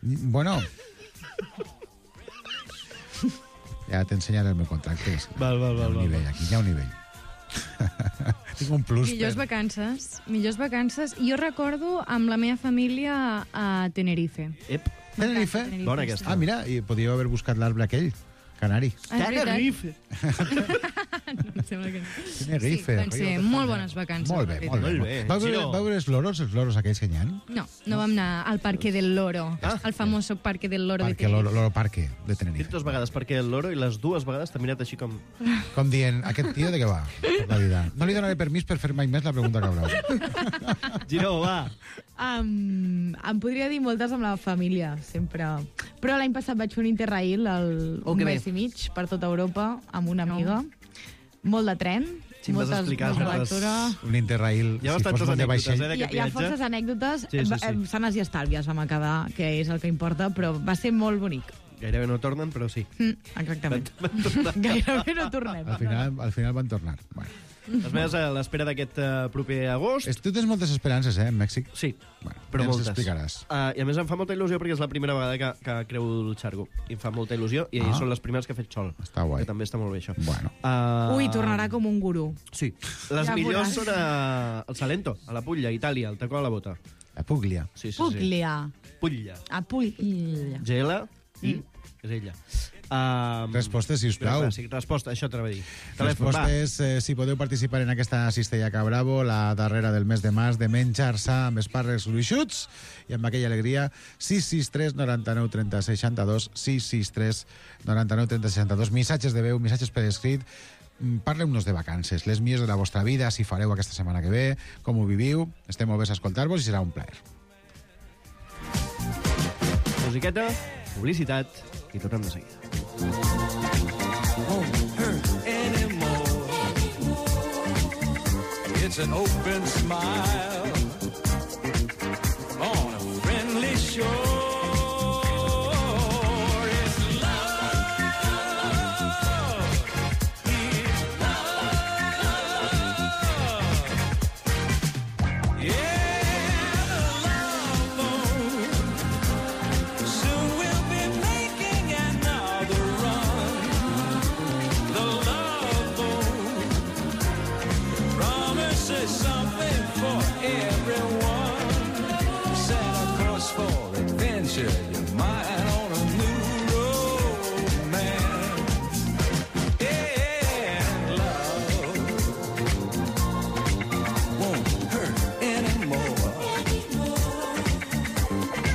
Bueno... Ja t'ensenyaré el meu contracte. Val. Aquí hi ha un nivell. Tinc un plus. Millors vacances. Jo recordo amb la meva família a Tenerife. Tenerife? Bona aquesta. Ah, mira, i podíeu haver buscat l'arbre aquell. Canari. Tenerife. Em sembla que no. Tenerife. Sí, van ser molt bones vacances. Molt bé. Vau veure els loros aquells que hi ha? No vam anar al Parque del Loro, al famoso Parque del Loro de Tenerife. Loro Parque de He Tenerife. dit 2 vegades Parque del Loro i les 2 vegades t'ha mirat així com... Com dient, aquest tio de què va? Per la vida. No li donaré permís per fer mai més la pregunta que haurà. Giró, va. Em podria dir moltes amb la família, sempre. Però l'any passat vaig fer un Interrail un mes i mig per tota Europa amb una amiga. Molt de tren, Sí, em vas explicar. molta lectura. Un Interrail, Hi ha si fos bastantes molt de anècdotes, vaixell... d'aquest Hi ha viatge. forces anècdotes, Sí. sanes i estalvies vam acabar, que és el que importa, però va ser molt bonic. Gairebé no tornen, però sí. Exactament. Gairebé no tornem. Al final van tornar. Bueno. Les meves a l'espera d'aquest proper agost. Tu tens moltes esperances, en Mèxic? Sí, Bueno, però ja ens moltes. explicaràs. I a més em fa molta il·lusió perquè és la primera vegada que creu el xargo. I em fa molta il·lusió i són les primeres que he fet sol. Està guai. Que també està molt bé, això. Bueno. Ui, tornarà com un gurú. Sí. Les Ja millors veuràs. són al Salento, a la Puglia, a Itàlia, al tacó a la bota. La Puglia. Sí. Puglia. Puglia. A Puglia. Gela i és ella. Respostes, sisplau. Sí, resposta, això t'anava a dir. Telèfon, Respostes, si podeu participar en aquesta Cistellaca Bravo, la darrera del mes de març, de menjar-se amb espàrrecs gruixuts i amb aquella alegria. 663 99 30 62, 663 99 30 62, missatges de veu, missatges per escrit. Parleu-nos de vacances, les millors de la vostra vida, si fareu aquesta setmana que ve, com ho viviu. Estem oberts a escoltar-vos i serà un plaer. musiqueta, publicitat i tornem de seguida. It's an open smile on a friendly shore. It's love. It's love. Yeah, the love boat. Soon we'll be making another run. The love boat promises something for everyone. Set a course for adventure, your mind on a new romance. Yeah, love won't hurt anymore.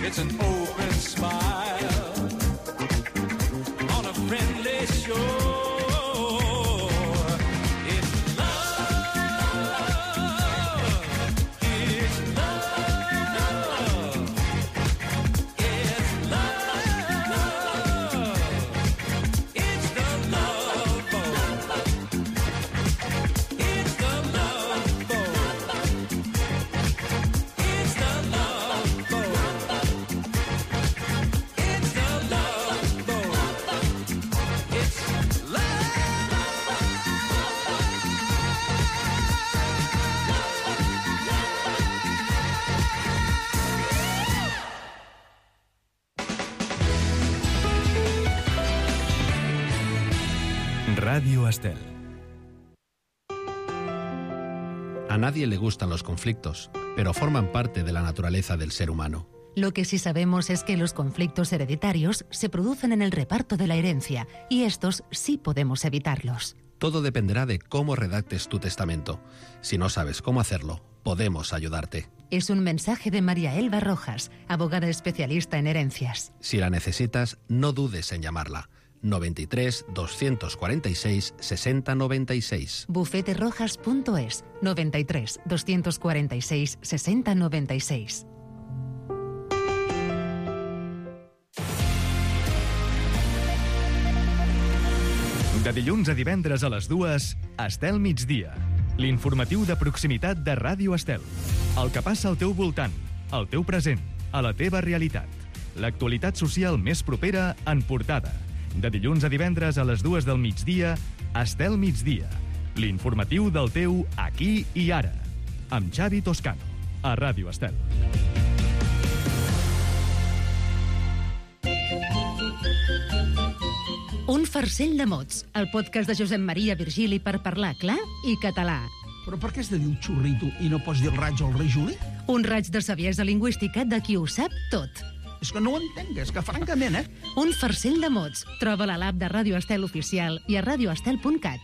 It's an open smile on a friendly shore. It's love. It's love. It's love. It's the love boat. It's the love boat. It's the love boat. It's the love boat. It's Radio Estel. A nadie le gustan los conflictos, pero forman parte de la naturaleza del ser humano. Lo que sí sabemos es que los conflictos hereditarios se producen en el reparto de la herencia, y estos sí podemos evitarlos. Todo dependerá de cómo redactes tu testamento. Si no sabes cómo hacerlo, podemos ayudarte. Es un mensaje de María Elba Rojas, abogada especialista en herencias. Si la necesitas, no dudes en llamarla. 93 246 60 96. Bufeterojas.es 93 246 60 96. De dilluns a divendres a les 2, Estel migdia. L'informatiu de proximitat de Ràdio Estel. El que passa al teu voltant, al teu present, a la teva realitat. L'actualitat social més propera en portada. De dilluns a divendres a les 2 del migdia, Estel migdia. L'informatiu del teu aquí i ara. Amb Xavi Toscano, a Ràdio Estel. Un farcell de mots, el podcast de Josep Maria Virgili per parlar clar i català. Però per què has de dir un xurrito i no pots dir el raig o el rei Juli? Un raig de saviesa lingüística de qui ho sap tot. És que no ho entenc, és que francament, Un farcell de mots. Troba-la a l'app de Ràdio Estel Oficial i a radioestel.cat.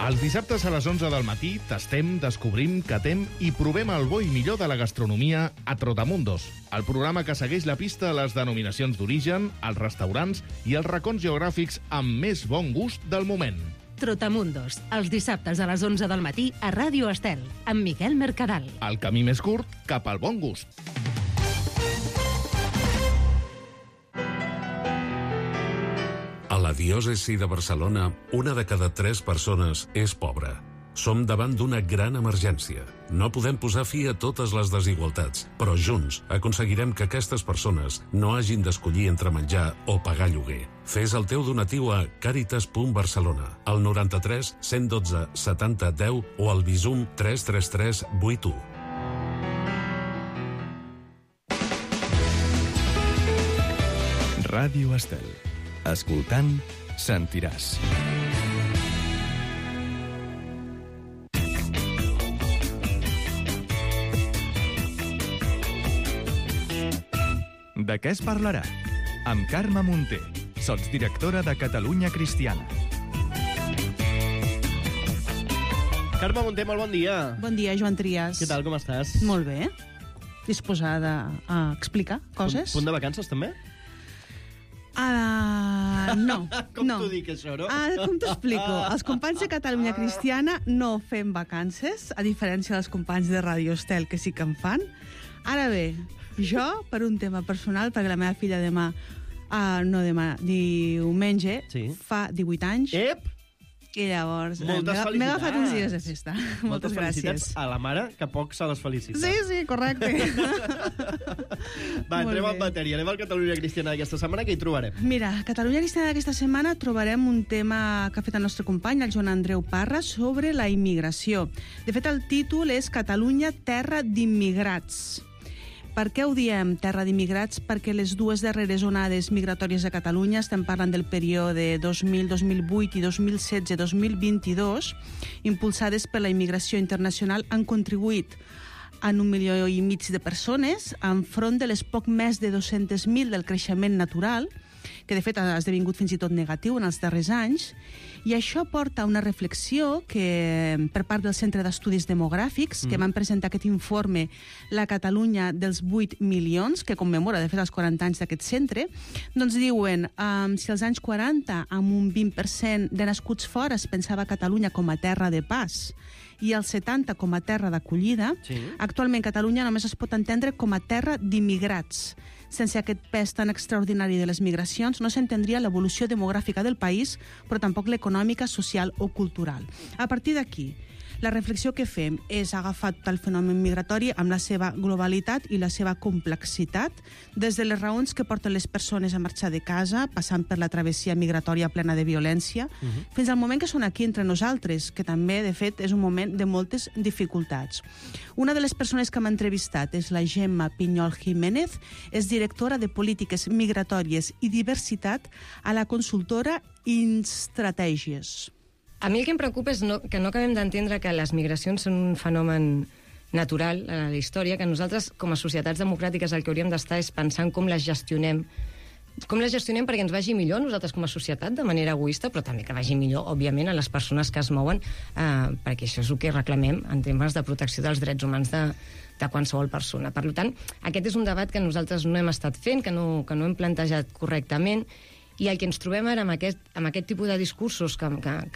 Els dissabtes a les 11 del matí tastem, descobrim, catem i provem el bo i millor de la gastronomia a Trotamundos, el programa que segueix la pista a les denominacions d'origen, els restaurants i els racons geogràfics amb més bon gust del moment. Trotamundos, els dissabtes a les 11 del matí a Ràdio Estel, amb Miquel Mercadal. El camí més curt cap al bon gust. A la diòcesi de Barcelona, 1 de cada 3 persones és pobra. Som davant d'una gran emergència. No podem posar fi a totes les desigualtats, però junts aconseguirem que aquestes persones no hagin d'escollir entre menjar o pagar lloguer. Fes el teu donatiu a caritas.barcelona, al 93 112 70 10 o al Bizum 333 81. Ràdio Estel. Escoltant, sentiràs. De què es parlarà? Amb Carme Munté, sotsdirectora de Catalunya Cristiana. Carme Munté, molt bon dia. Bon dia, Joan Trias. Què tal, com estàs? Molt bé. Disposada a explicar coses? Punt de vacances, també? No. Com no. t'ho dic, això, no? Com t'ho explico? Els companys de Catalunya Cristiana no fem vacances, a diferència dels companys de Radio Estel, que sí que en fan. Ara bé, jo, per un tema personal, perquè la meva filla diumenge, fa 18 anys. Ep! I llavors Moltes felicitats. m'he agafat uns dies de festa. Moltes gràcies. felicitats a la mare, que poc se les felicita. Sí, correcte. Va, entrem en matèria. Anem al Catalunya Cristiana d'aquesta setmana, què hi trobarem? Mira, a Catalunya Cristiana d'aquesta setmana trobarem un tema que ha fet el nostre company, el Joan Andreu Parra, sobre la immigració. De fet, el títol és Catalunya, terra d'immigrats. Per què ho diem, terra d'immigrats? Perquè les dues darreres onades migratòries a Catalunya, estem parlant del període 2000-2008 i 2016-2022, impulsades per la immigració internacional, han contribuït en 1,5 milió de persones, enfront de les poc més de 200.000 del creixement natural, que de fet ha esdevingut fins i tot negatiu en els darrers anys, i això porta a una reflexió que, per part del Centre d'Estudis Demogràfics, que van presentar aquest informe, la Catalunya dels 8 milions, que commemora, de fet, els 40 anys d'aquest centre, doncs diuen, si als anys 40, amb un 20% de nascuts fora, es pensava Catalunya com a terra de pas, i el 70 com a terra d'acollida, actualment Catalunya només es pot entendre com a terra d'immigrats. Sense aquest pes tan extraordinari de les migracions no s'entendria l'evolució demogràfica del país, però tampoc l'econòmica, social o cultural. A partir d'aquí, la reflexió que fem és agafar tot el fenomen migratori amb la seva globalitat i la seva complexitat, des de les raons que porten les persones a marxar de casa, passant per la travessia migratòria plena de violència, fins al moment que són aquí entre nosaltres, que també, de fet, és un moment de moltes dificultats. Una de les persones que m'ha entrevistat és la Gemma Pinyol Jiménez, és directora de Polítiques Migratòries i Diversitat a la consultora Instratègies. A mi el que em preocupa és que no acabem d'entendre que les migracions són un fenomen natural a la història, que nosaltres, com a societats democràtiques, el que hauríem d'estar és pensant com les gestionem. Com les gestionem perquè ens vagi millor nosaltres com a societat, de manera egoista, però també que vagi millor, òbviament, a les persones que es mouen, perquè això és el que reclamem en temes de protecció dels drets humans de qualsevol persona. Per tant, aquest és un debat que nosaltres no hem estat fent, que no hem plantejat correctament, i el que ens trobem ara amb aquest tipus de discursos que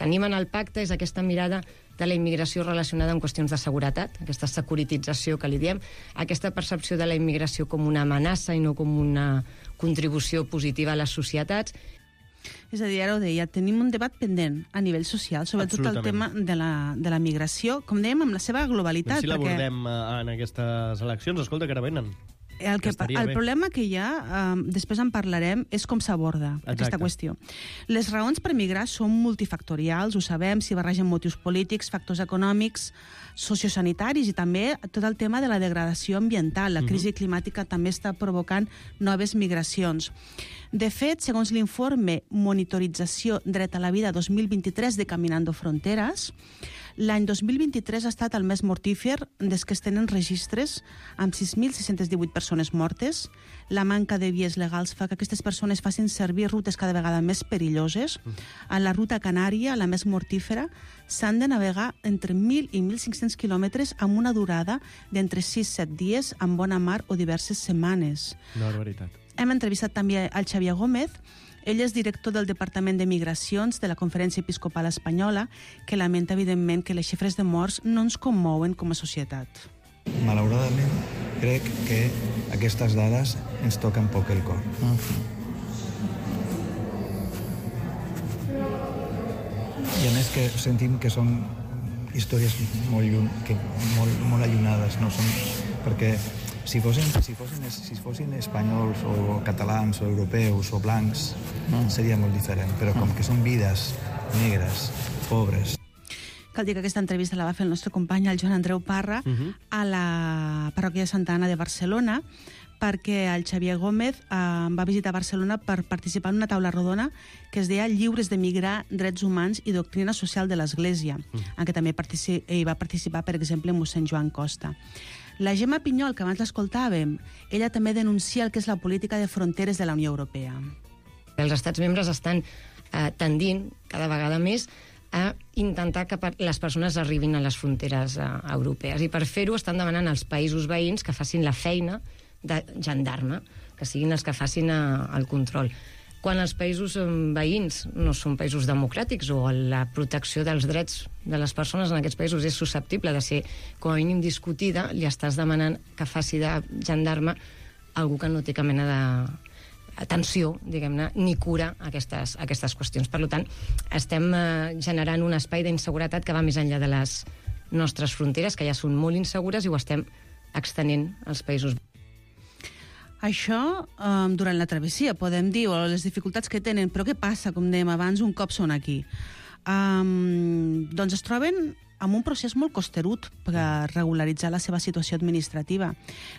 animen el pacte és aquesta mirada de la immigració relacionada amb qüestions de seguretat, aquesta securitització que li diem, aquesta percepció de la immigració com una amenaça i no com una contribució positiva a les societats. És a dir, ara ho deia, tenim un debat pendent a nivell social sobre tot el tema de la migració, com dèiem, amb la seva globalitat. Si l'abordem en aquestes eleccions, escolta, que ara venen. El problema que hi ha, després en parlarem, és com s'aborda aquesta qüestió. Les raons per migrar són multifactorials, ho sabem, s'hi barregen motius polítics, factors econòmics, sociosanitaris i també tot el tema de la degradació ambiental. La crisi climàtica també està provocant noves migracions. De fet, segons l'informe Monitorització Dret a la Vida 2023 de Caminando Fronteras, l'any 2023 ha estat el més mortífer des que es tenen registres, amb 6.618 persones mortes. La manca de vies legals fa que aquestes persones facin servir rutes cada vegada més perilloses. En la ruta canària, la més mortífera, s'han de navegar entre 1.000 i 1.500 quilòmetres amb una durada d'entre 6-7 dies en bona mar o diverses setmanes. Una barbaritat. Hem entrevistat també al Xavier Gómez. Ell és director del Departament de Migracions de la Conferència Episcopal Espanyola, que lamenta, evidentment, que les xifres de morts no ens commouen com a societat. Malauradament, crec que aquestes dades ens toquen poc el cor. I a més que sentim que són històries molt allunyades, no? Perquè si fossin espanyols o catalans o europeus o blancs, seria molt diferent. Però com que són vides negres, pobres. Cal dir que aquesta entrevista la va fer el nostre company, el Joan Andreu Parra, a la parròquia de Santa Anna de Barcelona, perquè el Xavier Gómez va visitar Barcelona per participar en una taula rodona que es deia Lliures de migrar, drets humans i doctrina social de l'Església, en què també hi va participar, per exemple, mossèn Joan Costa. La Gemma Pinyol, que abans l'escoltàvem, ella també denuncia el que és la política de fronteres de la Unió Europea. Els estats membres estan tendint cada vegada més a intentar que les persones arribin a les fronteres europees. I per fer-ho estan demanant als països veïns que facin la feina de gendarme, que siguin els que facin el control. Quan els països veïns no són països democràtics o la protecció dels drets de les persones en aquests països és susceptible de ser com a mínim discutida, li estàs demanant que faci de gendarme algú que no té cap mena d'atenció, diguem-ne, ni cura aquestes qüestions. Per tant, estem generant un espai d'inseguretat que va més enllà de les nostres fronteres, que ja són molt insegures, i ho estem extenent als països. Això durant la travessia, podem dir, o les dificultats que tenen, però què passa, com dèiem abans, un cop són aquí? Doncs es troben amb un procés molt costerut per regularitzar la seva situació administrativa.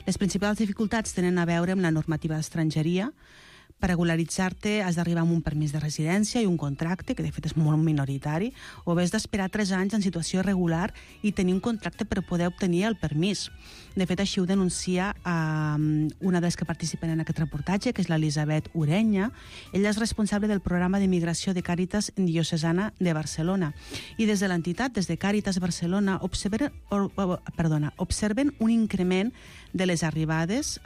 Les principals dificultats tenen a veure amb la normativa d'estrangeria. Per regularitzar-te has d'arribar amb un permís de residència i un contracte, que de fet és molt minoritari, o bé has d'esperar 3 anys en situació irregular i tenir un contracte per poder obtenir el permís. De fet, així ho denuncia una de les que participen en aquest reportatge, que és l'Elisabet Urenya. Ella és responsable del programa d'immigració de Càritas Diocesana de Barcelona. I des de l'entitat, des de Càritas Barcelona, observen un increment de les arribades,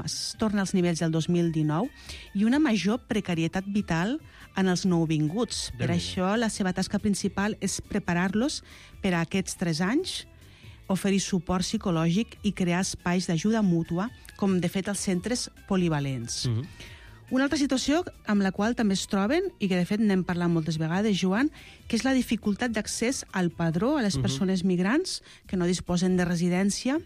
es torna als nivells del 2019, i una major precarietat vital en els nouvinguts. Per això, la seva tasca principal és preparar-los per a aquests 3 anys, oferir suport psicològic i crear espais d'ajuda mútua, com de fet els centres polivalents. Una altra situació amb la qual també es troben, i que de fet n'hem parlat moltes vegades, Joan, que és la dificultat d'accés al padró a les persones migrants que no disposen de residència,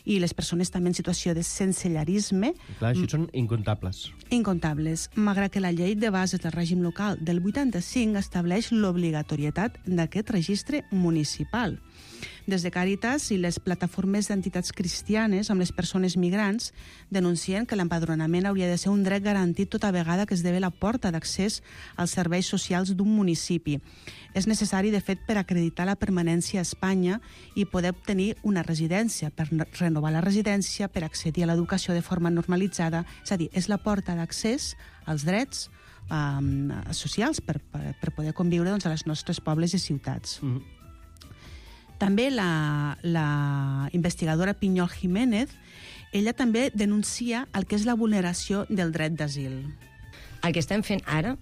i les persones també en situació de sensellarisme. Clar, això són incontables. Incontables, malgrat que la llei de bases del règim local del 85 estableix l'obligatorietat d'aquest registre municipal. Des de Càritas i les plataformes d'entitats cristianes amb les persones migrants denuncien que l'empadronament hauria de ser un dret garantit tota vegada que esdevé la porta d'accés als serveis socials d'un municipi. És necessari, de fet, per acreditar la permanència a Espanya i poder obtenir una residència, per renovar la residència, per accedir a l'educació de forma normalitzada. És a dir, és la porta d'accés als drets socials per poder conviure a les nostres pobles i ciutats. També la investigadora Pinyol Jiménez, ella també denuncia el que és la vulneració del dret d'asil. El que estem fent ara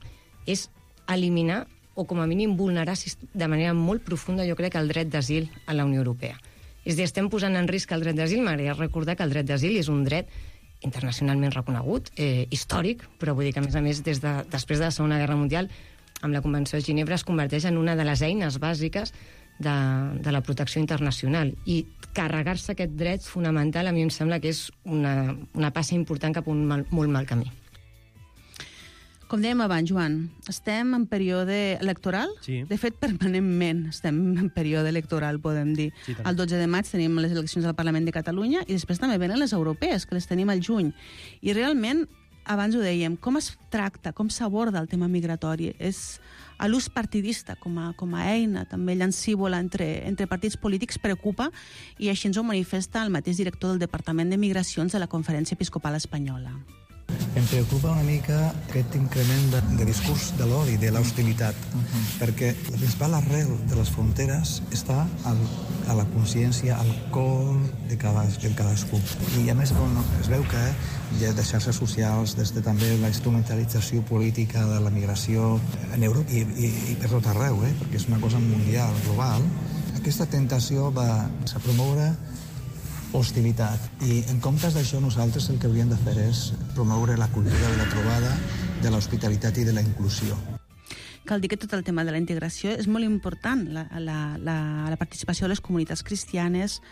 és eliminar o com a mínim vulnerar de manera molt profunda, jo crec, el dret d'asil a la Unió Europea. És a dir, estem posant en risc el dret d'asil. M'agradaria recordar que el dret d'asil és un dret internacionalment reconegut, històric, però vull dir que, a més, després de la Segona Guerra Mundial, amb la Convenció de Ginebra, es converteix en una de les eines bàsiques de la protecció internacional. I carregar-se aquest dret fonamental a mi em sembla que és una passa important cap a un molt mal camí. Com dèiem abans, Joan, estem en període electoral. Sí. De fet, permanentment estem en període electoral, podem dir. Sí, tant. El 12 de maig tenim les eleccions al Parlament de Catalunya i després també venen les europees, que les tenim al juny. I realment, abans ho dèiem, com es tracta, com s'aborda el tema migratori? És a l'ús partidista com a eina, també llancívola entre partits polítics, preocupa, i així ens ho manifesta el mateix director del Departament de Migracions de la Conferència Episcopal Espanyola. Em preocupa una mica aquest increment de discurs de l'odi, de l'hostilitat, perquè la principal arrel de les fronteres està a la consciència, al cor de cadascú. I a més es veu que hi ha de xarxes socials, des de també la instrumentalització política de la migració en Europa i per tot arreu, perquè és una cosa mundial, global. Aquesta tentació va a promoure hostilitat. I en comptes d'això, nosaltres el que hauríem de fer és promoure la cultura de la trobada, de l'hospitalitat i de la inclusió. Cal dir que tot el tema de la integració és molt important, la participació de les comunitats cristianes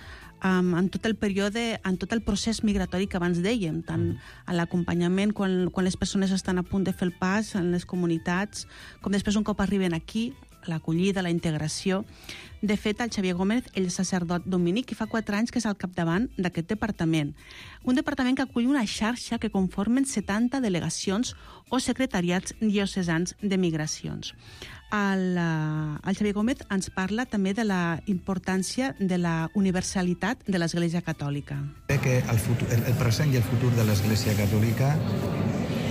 en tot el període, en tot el procés migratori que abans dèiem, tant a l'acompanyament quan les persones estan a punt de fer el pas en les comunitats, com després un cop arriben aquí, l'acollida, la integració. De fet, el Xavier Gómez, ell és sacerdot dominic i fa 4 anys que és al capdavant d'aquest departament. Un departament que acull una xarxa que conformen 70 delegacions o secretariats diocesans de migracions. El Xavier Gómez ens parla també de la importància de la universalitat de l'Església Catòlica. Crec que el present i el futur de l'Església Catòlica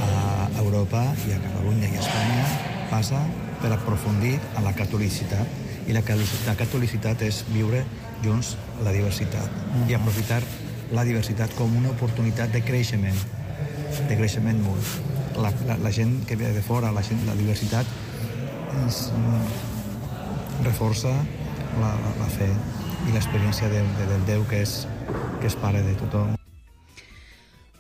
a Europa i a Catalunya i a Espanya passa per aprofundir a la catolicitat. I la catolicitat és viure junts la diversitat i aprofitar la diversitat com una oportunitat de creixement mutu. La gent que ve de fora, la diversitat reforça la fe i l'experiència del Déu que és pare de tothom.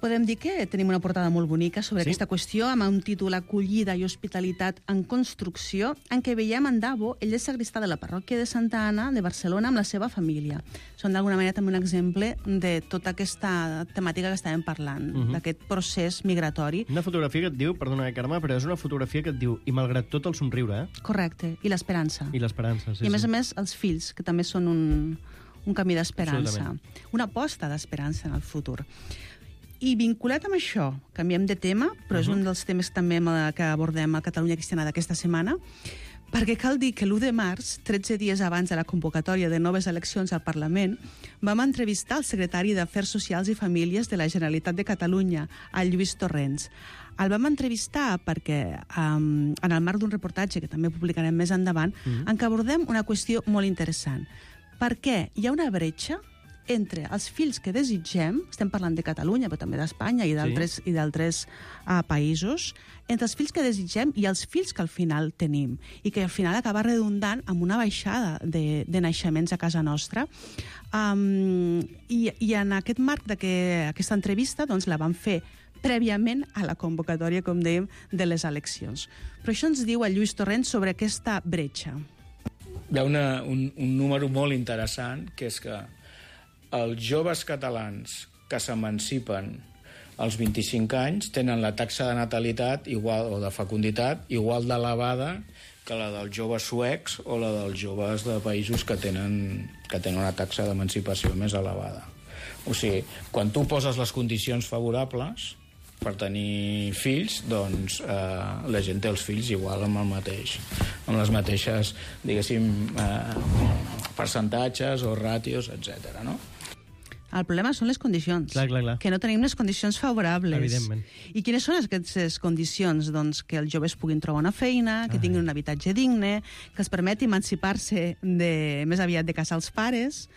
Podem dir que tenim una portada molt bonica sobre aquesta qüestió, amb un títol Acollida i hospitalitat en construcció, en què veiem en Davo, ell és sagristà de la parròquia de Santa Anna de Barcelona amb la seva família. Són d'alguna manera també un exemple de tota aquesta temàtica que estàvem parlant, d'aquest procés migratori. Una fotografia que et diu, perdona, Carme, però és una fotografia que et diu, i malgrat tot el somriure, Correcte, i l'esperança. I l'esperança, sí. I a més, els fills, que també són un camí d'esperança. Una aposta d'esperança en el futur. I vinculat amb això, canviem de tema, però és un dels temes també que abordem a Catalunya Cristiana d'aquesta setmana, perquè cal dir que l'1 de març, 13 dies abans de la convocatòria de noves eleccions al Parlament, vam entrevistar el secretari d'Afers Socials i Famílies de la Generalitat de Catalunya, el Lluís Torrents. El vam entrevistar perquè, en el marc d'un reportatge que també publicarem més endavant, en què abordem una qüestió molt interessant. Per què hi ha una bretxa entre els fills que desitgem, estem parlant de Catalunya, però també d'Espanya i d'altres països, entre els fills que desitgem i els fills que al final tenim, i que al final acaba redundant amb una baixada de naixements a casa nostra. I en aquest marc d'aquesta entrevista la vam fer prèviament a la convocatòria, com dèiem, de les eleccions. Però això ens diu el Lluís Torrents sobre aquesta bretxa. Hi ha un número molt interessant, que és que els joves catalans que s'emancipen als 25 anys tenen la taxa de natalitat igual, o de fecunditat igual d'elevada que la dels joves suecs o la dels joves de països que tenen una taxa d'emancipació més elevada. O sigui, quan tu poses les condicions favorables per tenir fills, doncs la gent té els fills igual amb les mateixes, diguéssim, percentatges o ràtios, etc. no? El problema són les condicions. Clar. Que no tenim les condicions favorables. Evidentment. I quines són aquestes condicions? Doncs que els joves puguin trobar una feina, que tinguin un habitatge digne, que els permeti emancipar-se més aviat de casa als pares,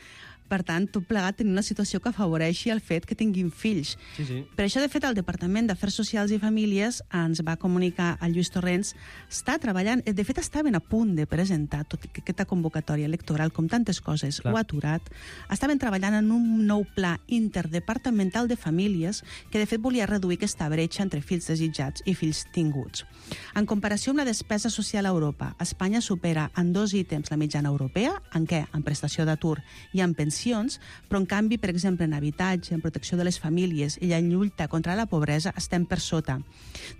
Per tant, tot plegat tenir una situació que afavoreixi el fet que tinguin fills. Sí. Per això, de fet, el Departament d'Afers Socials i Famílies ens va comunicar al Lluís Torrents, està treballant, de fet, estaven a punt de presentar, tot i que aquesta convocatòria electoral, com tantes coses, ho ha aturat, estaven treballant en un nou pla interdepartamental de famílies que, de fet, volia reduir aquesta bretxa entre fills desitjats i fills tinguts. En comparació amb la despesa social a Europa, Espanya supera en 2 ítems la mitjana europea, en què? En prestació d'atur i en pensions, però en canvi, per exemple, en habitatge, en protecció de les famílies i en lluita contra la pobresa estem per sota.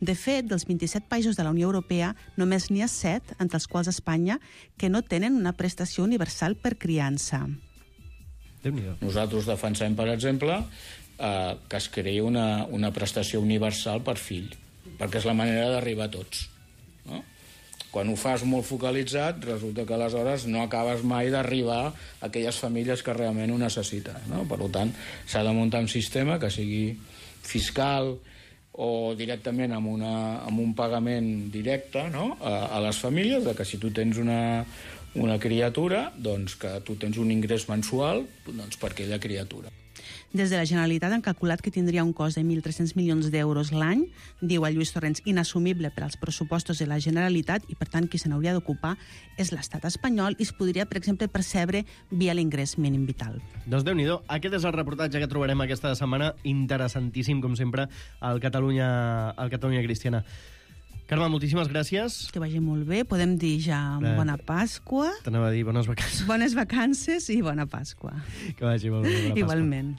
De fet, dels 27 països de la Unió Europea, només n'hi ha 7, entre els quals Espanya, que no tenen una prestació universal per criança. Nosaltres defensem, per exemple, que es creï una prestació universal per fill, perquè és la manera d'arribar a tots. No? Quan ho fas molt focalitzat, resulta que aleshores no acabes mai d'arribar a aquelles famílies que realment ho necessiten. No? Per tant, s'ha de muntar un sistema que sigui fiscal o directament amb un pagament directe, no? a les famílies, de que si tu tens una criatura, doncs que tu tens un ingrés mensual doncs, per aquella criatura. Des de la Generalitat han calculat que tindria un cost de 1.300 milions d'euros l'any, diu el Lluís Torrents, inassumible per als pressupostos de la Generalitat i, per tant, qui se n'hauria d'ocupar és l'estat espanyol i es podria, per exemple, percebre via l'ingrés mínim vital. Doncs Déu-n'hi-do, aquest és el reportatge que trobarem aquesta setmana, interessantíssim, com sempre, al Catalunya Cristiana. Carme, moltíssimes gràcies. Que vagi molt bé. Podem dir ja bona Pasqua. T'anava a dir bones vacances. Bones vacances i bona Pasqua. Que vagi molt bé. Bona Pasqua. Igualment.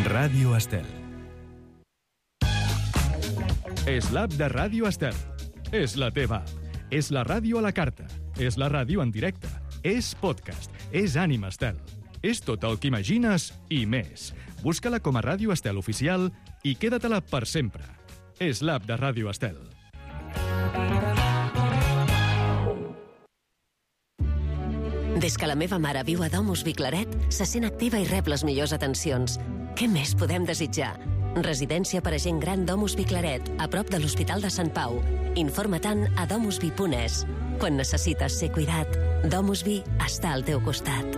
Ràdio Estel. És l'app de Ràdio Estel. És la teva app. És la ràdio a la carta. És la ràdio en directe. És podcast. És Ànima Estel. És tot el que imagines i més. Busca-la com a Ràdio Estel Oficial i queda-te-la per sempre. És l'app de Ràdio Estel. Des que la meva mare viu a Domus Viclaret, se sent activa i rep les millors atencions. Què més podem desitjar? Residència per a gent gran Domus Viclaret, a prop de l'Hospital de Sant Pau. Informa-te'n a domusvi.es. Quan necessites ser cuidat, Domusvi està al teu costat.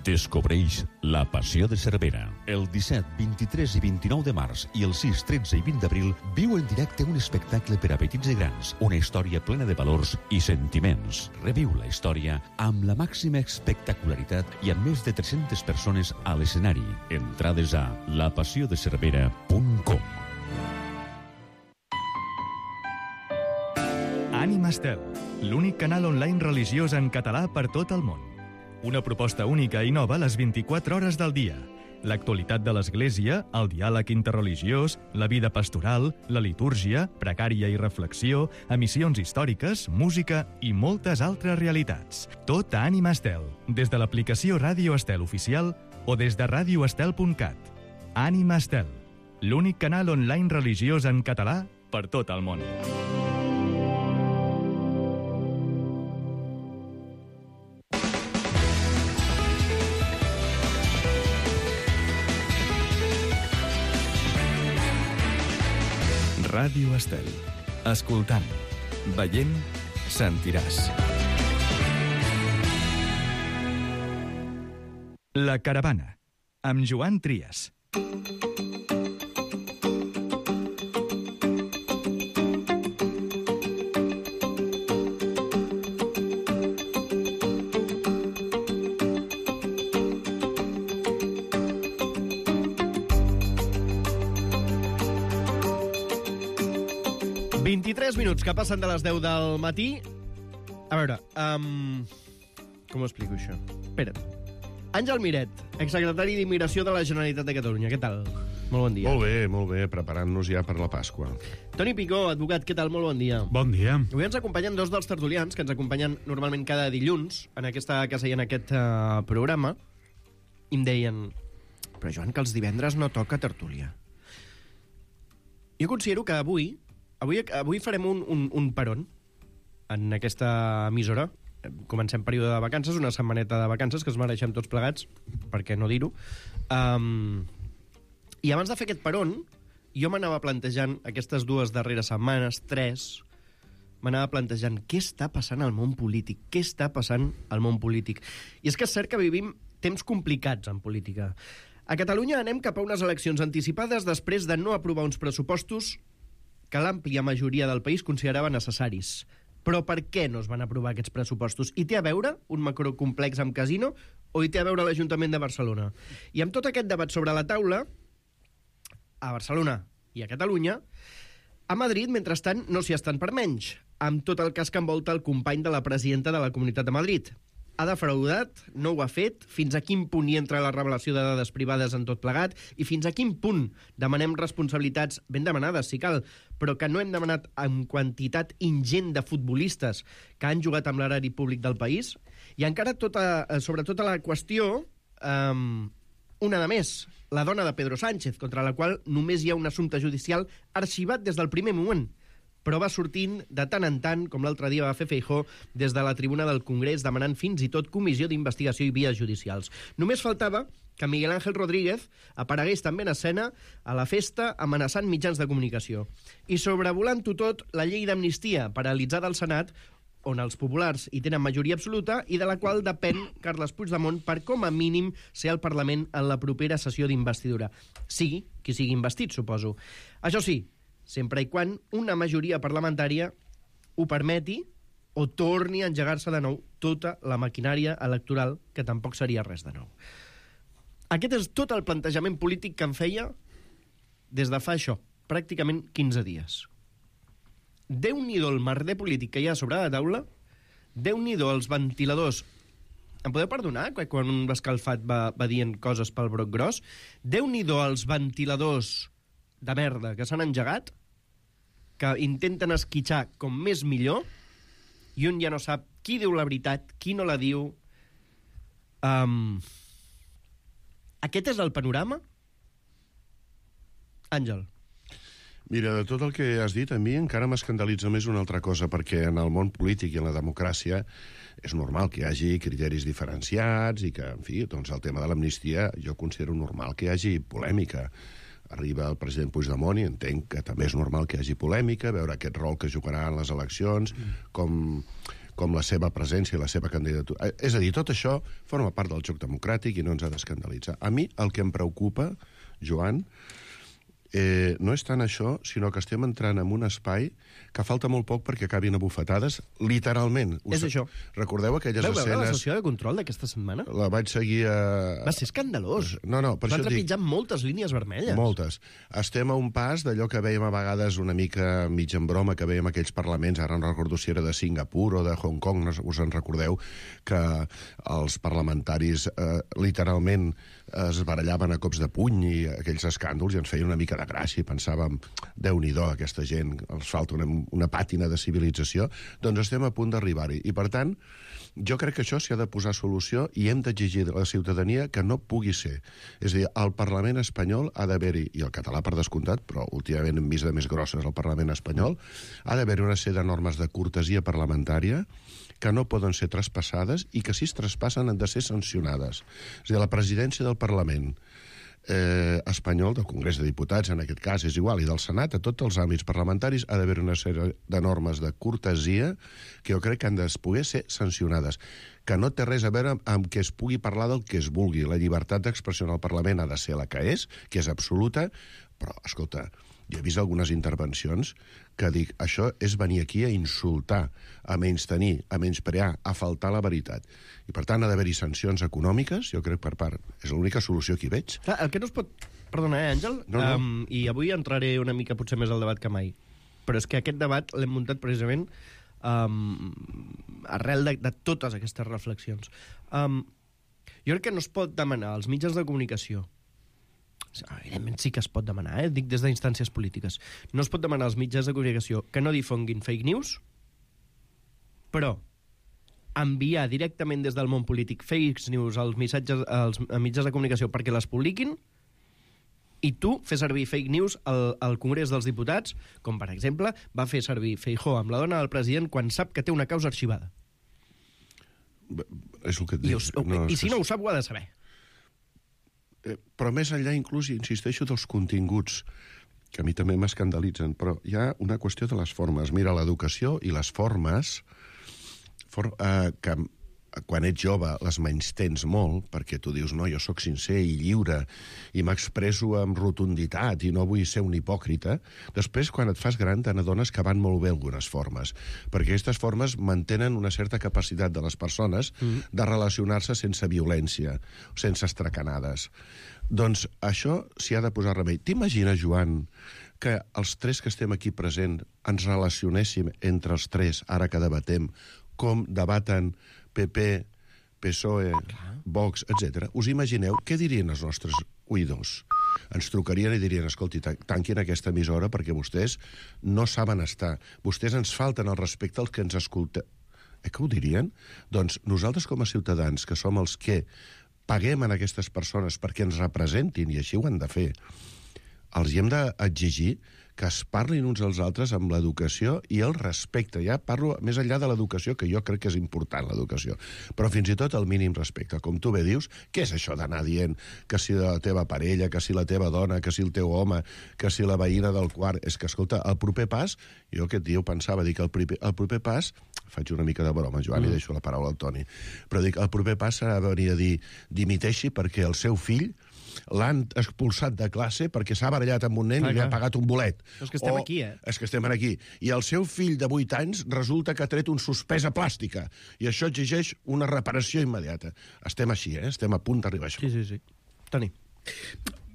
Descobreix La Passió de Cervera. El 17, 23 i 29 de març i el 6, 13 i 20 d'abril viu en directe un espectacle per a petits i grans, una història plena de valors i sentiments. Reviu la història amb la màxima espectacularitat i amb més de 300 persones a l'escenari. Entrades a lapassiodecervera.com. Ànima Estel, l'únic canal online religiós en català per tot el món. Una proposta única i nova a les 24 hores del dia. L'actualitat de l'Església, el diàleg interreligiós, la vida pastoral, la litúrgia, precària i reflexió, emissions històriques, música i moltes altres realitats. Tot a Ànima Estel, des de l'aplicació Ràdio Estel Oficial o des de radioestel.cat. Ànima Estel, l'únic canal online religiós en català per tot el món. Ràdio Estel. Escoltant, veient, sentiràs. La Caravana, amb Joan Trias. Minuts que passen de les 10 del matí. A veure, com ho explico, això? Espera't. Àngel Miret, exsecretari d'Immigració de la Generalitat de Catalunya. Què tal? Molt bon dia. Molt bé, preparant-nos ja per la Pasqua. Toni Picó, advocat, què tal? Molt bon dia. Bon dia. Avui ens acompanyen dos dels tertulians, que ens acompanyen normalment cada dilluns en aquesta casa i en aquest programa, i em deien, però Joan, que els divendres no toca tertúlia. Jo considero que avui farem un peron en aquesta emissora comencem període de vacances, una setmaneta de vacances que es mereixem tots plegats, per què no dir-ho. I abans de fer aquest peron, jo m'anava plantejant aquestes 2 darreres setmanes, 3, m'anava plantejant què està passant al món polític, què està passant al món polític. I és que és cert que vivim temps complicats en política. A Catalunya anem cap a unes eleccions anticipades després de no aprovar uns pressupostos que l'àmplia majoria del país considerava necessaris. Però per què no es van aprovar aquests pressupostos? I té a veure un macrocomplex amb casino o hi té a veure l'Ajuntament de Barcelona? I amb tot aquest debat sobre la taula, a Barcelona i a Catalunya, a Madrid, mentrestant, no s'hi estan per menys, amb tot el cas que envolta el company de la presidenta de la Comunitat de Madrid. Ha defraudat, no ho ha fet, fins a quin punt hi entra la revelació de dades privades en tot plegat i fins a quin punt demanem responsabilitats ben demanades, si cal, però que no hem demanat en quantitat ingent de futbolistes que han jugat amb l'erari públic del país. I encara sobretot la qüestió, una de més, la dona de Pedro Sánchez, contra la qual només hi ha un assumpte judicial arxivat des del primer moment, però va sortint de tant en tant, com l'altre dia va fer Feijóo, des de la tribuna del Congrés, demanant fins i tot comissió d'investigació i vies judicials. Només faltava que Miguel Ángel Rodríguez aparegués també en escena a la festa amenaçant mitjans de comunicació. I sobrevolant-ho tot, la llei d'amnistia paralitzada al Senat, on els populars hi tenen majoria absoluta i de la qual depèn Carles Puigdemont per com a mínim ser al Parlament en la propera sessió d'investidura. Sigui qui sigui investit, suposo. Això sí, sempre i quan una majoria parlamentària ho permeti o torni a engegar-se de nou tota la maquinària electoral, que tampoc seria res de nou. Aquest és tot el plantejament polític que em feia des de fa això, pràcticament 15 dies. Déu-n'hi-do el merder polític que hi ha sobre la taula, déu-n'hi-do els ventiladors. Em podeu perdonar quan un escalfat va dient coses pel broc gros? Déu-n'hi-do els ventiladors de merda que s'han engegat, que intenten esquitxar com més millor, i un ja no sap qui diu la veritat, qui no la diu. Aquest és el panorama? Àngel. Mira, de tot el que has dit, a mi encara m'escandalitza més una altra cosa, perquè en el món polític i en la democràcia és normal que hi hagi criteris diferenciats i que, en fi, doncs el tema de l'amnistia jo considero normal que hi hagi polèmica. Arriba el president Puigdemont i entenc que també és normal que hi hagi polèmica, veure aquest rol que jugarà en les eleccions, com la seva presència i la seva candidatura. És a dir, tot això forma part del joc democràtic i no ens ha d'escandalitzar. A mi el que em preocupa, Joan, no és tant això, sinó que estem entrant en un espai que falta molt poc perquè acabin a bufetades, literalment. És això. Recordeu aquelles escenes... Veu veure la sessió de control d'aquesta setmana? La vaig seguir a... Va ser escandalós. No, per això dic... Van trepitjar moltes línies vermelles. Moltes. Estem a un pas d'allò que veiem a vegades una mica mig en broma, que veiem aquells parlaments, ara no recordo si era de Singapur o de Hong Kong, no us en recordeu, que els parlamentaris literalment es barallaven a cops de puny i aquells escàndols i ens feien una mica de gràcia i pensàvem, Déu-n'hi-do, aquesta gent, els falta una pàtina de civilització. Doncs estem a punt d'arribar-hi. I, per tant, jo crec que això s'hi ha de posar solució i hem d'exigir a la ciutadania que no pugui ser. És a dir, el Parlament espanyol ha d'haver-hi, i el català per descomptat, però últimament hem vist de més grosses el Parlament espanyol, ha d'haver-hi una sèrie de normes de cortesia parlamentària que no poden ser traspassades i que si es traspassen han de ser sancionades. És a dir, la presidència del Parlament espanyol, del Congrés de Diputats, en aquest cas és igual, i del Senat, a tots els àmbits parlamentaris ha d'haver una sèrie de normes de cortesia que jo crec que han de poder ser sancionades, que no té res a veure amb que es pugui parlar del que es vulgui. La llibertat d'expressió en el Parlament ha de ser la que és absoluta, però, escolta, jo he vist algunes intervencions que dic, això és venir aquí a insultar, a menystenir, a menysprear, a faltar la veritat. I, per tant, ha d'haver-hi sancions econòmiques, jo crec per part. És l'única solució que hi veig. Clar, el que no es pot... Perdona, Àngel? No. I avui entraré una mica potser més al debat que mai. Però és que aquest debat l'hem muntat precisament arrel de totes aquestes reflexions. Jo crec que no es pot demanar als mitjans de comunicació, evidentment sí que es pot demanar, dic des d'instàncies polítiques, no es pot demanar als mitjans de comunicació que no difonguin fake news, però enviar directament des del món polític fake news als mitjans de comunicació perquè les publiquin, i tu fer servir fake news al Congrés dels Diputats, com per exemple va fer servir Feijóo amb la dona del president quan sap que té una causa arxivada. És el que et dic. I si no ho sap, ho ha de saber. Però més enllà, inclús, insisteixo, dels continguts, que a mi també m'escandalitzen, però hi ha una qüestió de les formes. Mira, l'educació i les formes, que quan ets jove les menystens molt, perquè tu dius, no, jo sóc sincer i lliure, i m'expresso amb rotunditat, i no vull ser un hipòcrita. Després, quan et fas gran, te n'adones que van molt bé algunes formes, perquè aquestes formes mantenen una certa capacitat de les persones de relacionar-se sense violència, sense estracanades. Doncs això s'hi ha de posar remei. T'imagines, Joan, que els tres que estem aquí presents ens relacionéssim entre els tres, ara que debatem, com debaten PP, PSOE, Vox, etc. Us imagineu què dirien els nostres oïdors? Ens trucarien i dirien, escolti, tanquin aquesta emissora perquè vostès no saben estar. Vostès ens falten el respecte als que ens escolten. Que ho dirien? Doncs nosaltres com a ciutadans, que som els que paguem a aquestes persones perquè ens representin, i així ho han de fer, els hi hem d'exigir que es parlin uns als altres amb l'educació i el respecte. Ja parlo més enllà de l'educació, que jo crec que és important, l'educació. Però fins i tot el mínim respecte. Com tu bé dius, què és això d'anar dient que si la teva parella, que si la teva dona, que si el teu home, que si la veïna del quart... És que, escolta, el proper pas... Jo aquest dia ho pensava, dic, el proper pas... Faig una mica de broma, Joan, i deixo la paraula al Toni. Però dic, el proper pas serà venir a dir dimiteixi perquè el seu fill l'han expulsat de classe perquè s'ha barallat amb un nen i li ha pagat un bolet. És que estem aquí, És que estem aquí. I el seu fill de 8 anys resulta que ha tret un suspès a plàstica. I això exigeix una reparació immediata. Estem així, Estem a punt d'arribar a això. Sí. Toni.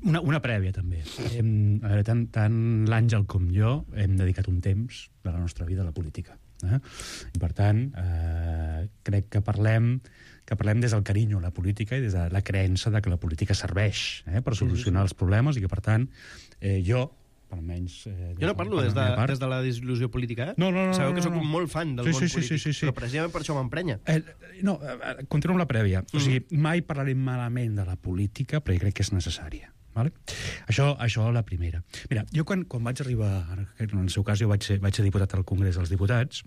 Una prèvia, també. A veure, tant l'Àngel com jo hem dedicat un temps de la nostra vida a la política. I, per tant, crec que parlem des del carinyo a la política i des de la creença de que la política serveix per solucionar els problemes i que, per tant, jo, almenys... Jo no parlo des de la desil·lusió política, No. Sabeu que sóc un molt fan del món polític, però precisament per això m'emprenya. Continuo amb la prèvia. O sigui, mai parlarem malament de la política, però jo crec que és necessària. Vale? Això la primera. Mira, jo quan vaig arribar, en el seu cas jo vaig ser diputat al Congrés dels Diputats,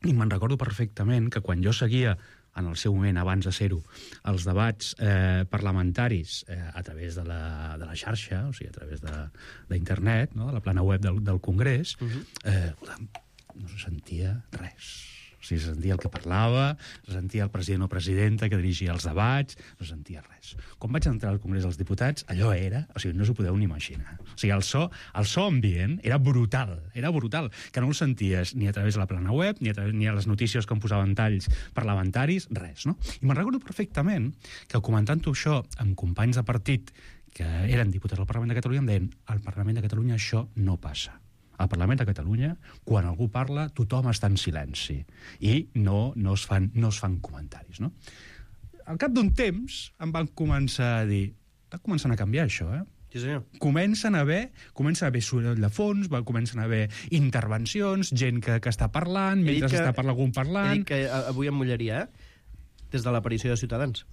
i me'n recordo perfectament que quan jo seguia en el seu moment, abans de ser-ho, els debats parlamentaris a través de la xarxa, o sigui, a través d'internet, no? De la plana web del Congrés, no se sentia res. O sigui, se sentia el que parlava, se sentia el president o presidenta que dirigia els debats, no se sentia res. Quan vaig entrar al Congrés dels Diputats, allò era... O sigui, no s'ho podeu ni imaginar. O sigui, el so ambient era brutal, que no el senties ni a través de la plana web, ni a les notícies que em posaven talls parlamentaris, res, no? I me'n recordo perfectament que comentant-ho això amb companys de partit que eren diputats al Parlament de Catalunya em deien, al Parlament de Catalunya això no passa. Al Parlament de Catalunya, quan algú parla, tothom està en silenci i no es fan comentaris, no? Al cap d'un temps em van començar a dir està començant a canviar això, Sí, senyor. Comença a haver soroll de fons, comencen a haver intervencions, gent que està parlant, mentre està algun parlant... He dit que avui em mullaria, des de l'aparició de Ciutadans.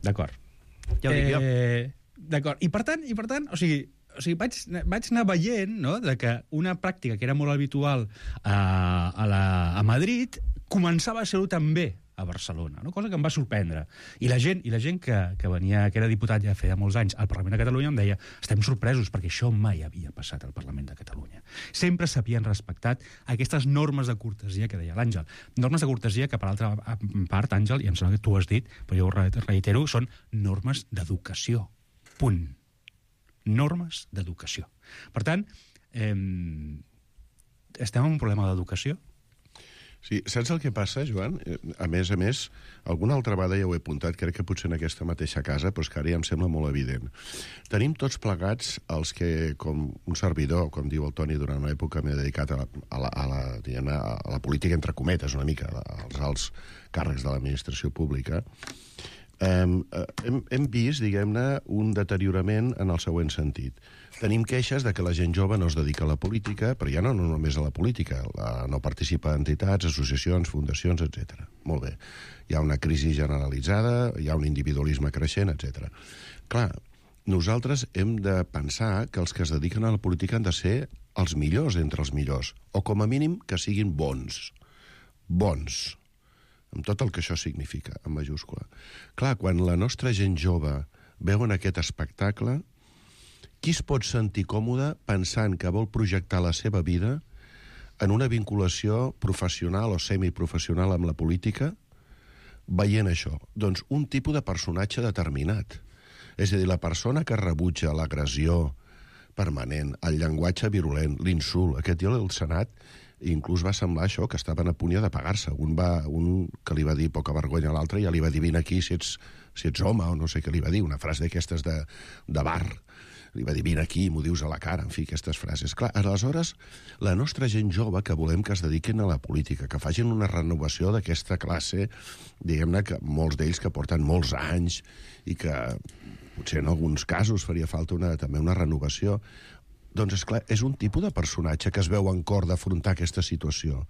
D'acord. Ja ho dic jo. D'acord. I per tant, o sigui, vaig anar veient, no?, de que una pràctica que era molt habitual a Madrid començava a ser-ho també a Barcelona, no? Cosa que em va sorprendre. I la gent que venia, que era diputat ja feia molts anys al Parlament de Catalunya em deia estem sorpresos perquè això mai havia passat al Parlament de Catalunya. Sempre s'havien respectat aquestes normes de cortesia que deia l'Àngel. Normes de cortesia que, per altra part, Àngel, i em sembla que tu ho has dit, però jo ho reitero, són normes d'educació. Punt. Normes d'educació. Per tant, estem en un problema d'educació? Sí, saps el que passa, Joan? A més, alguna altra vegada ja ho he apuntat, crec que potser en aquesta mateixa casa, però és que ara ja em sembla molt evident. Tenim tots plegats els que, com un servidor, com diu el Toni, durant una època m'he dedicat a la política, entre cometes, una mica, als alts càrrecs de l'administració pública, hem vist, diguem-ne, un deteriorament en el següent sentit. Tenim queixes de que la gent jove no es dedica a la política, però ja no només a la política, no participa en entitats, associacions, fundacions, etc. Molt bé. Hi ha una crisi generalitzada, hi ha un individualisme creixent, etc. Clar, nosaltres hem de pensar que els que es dediquen a la política han de ser els millors entre els millors, o com a mínim que siguin bons. Bons. amb tot el que això significa, en majúscula. Clar, quan la nostra gent jove veuen aquest espectacle, qui es pot sentir còmode pensant que vol projectar la seva vida en una vinculació professional o semiprofessional amb la política, veient això? Doncs un tipus de personatge determinat. És a dir, la persona que rebutja l'agressió permanent, el llenguatge virulent, l'insult. Aquest dia al Senat inclús va semblar això, que estaven a punt de pagar-se. Un que li va dir poca vergonya a l'altre, ja li va dir vine aquí si ets home, o no sé què li va dir, una frase d'aquestes de bar. Li va dir vine aquí, m'ho dius a la cara, en fi, aquestes frases. Clar, aleshores, la nostra gent jove que volem que es dediquin a la política, que facin una renovació d'aquesta classe, diguem-ne que molts d'ells que porten molts anys i que potser en alguns casos faria falta també una renovació. Doncs, esclar, és un tipus de personatge que es veu en cor d'afrontar aquesta situació.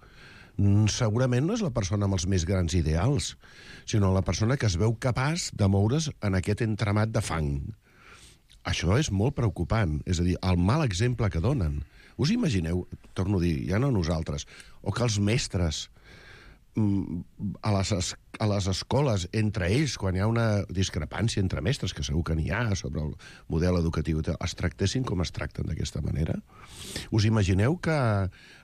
Segurament no és la persona amb els més grans ideals, sinó la persona que es veu capaç de moure's en aquest entramat de fang. Això és molt preocupant. És a dir, el mal exemple que donen. Us imagineu, torno a dir, ja no nosaltres, o que els mestres a les escoles, entre ells, quan hi ha una discrepància entre mestres, que segur que n'hi ha sobre el model educatiu, es tractessin com es tracten d'aquesta manera? Us imagineu que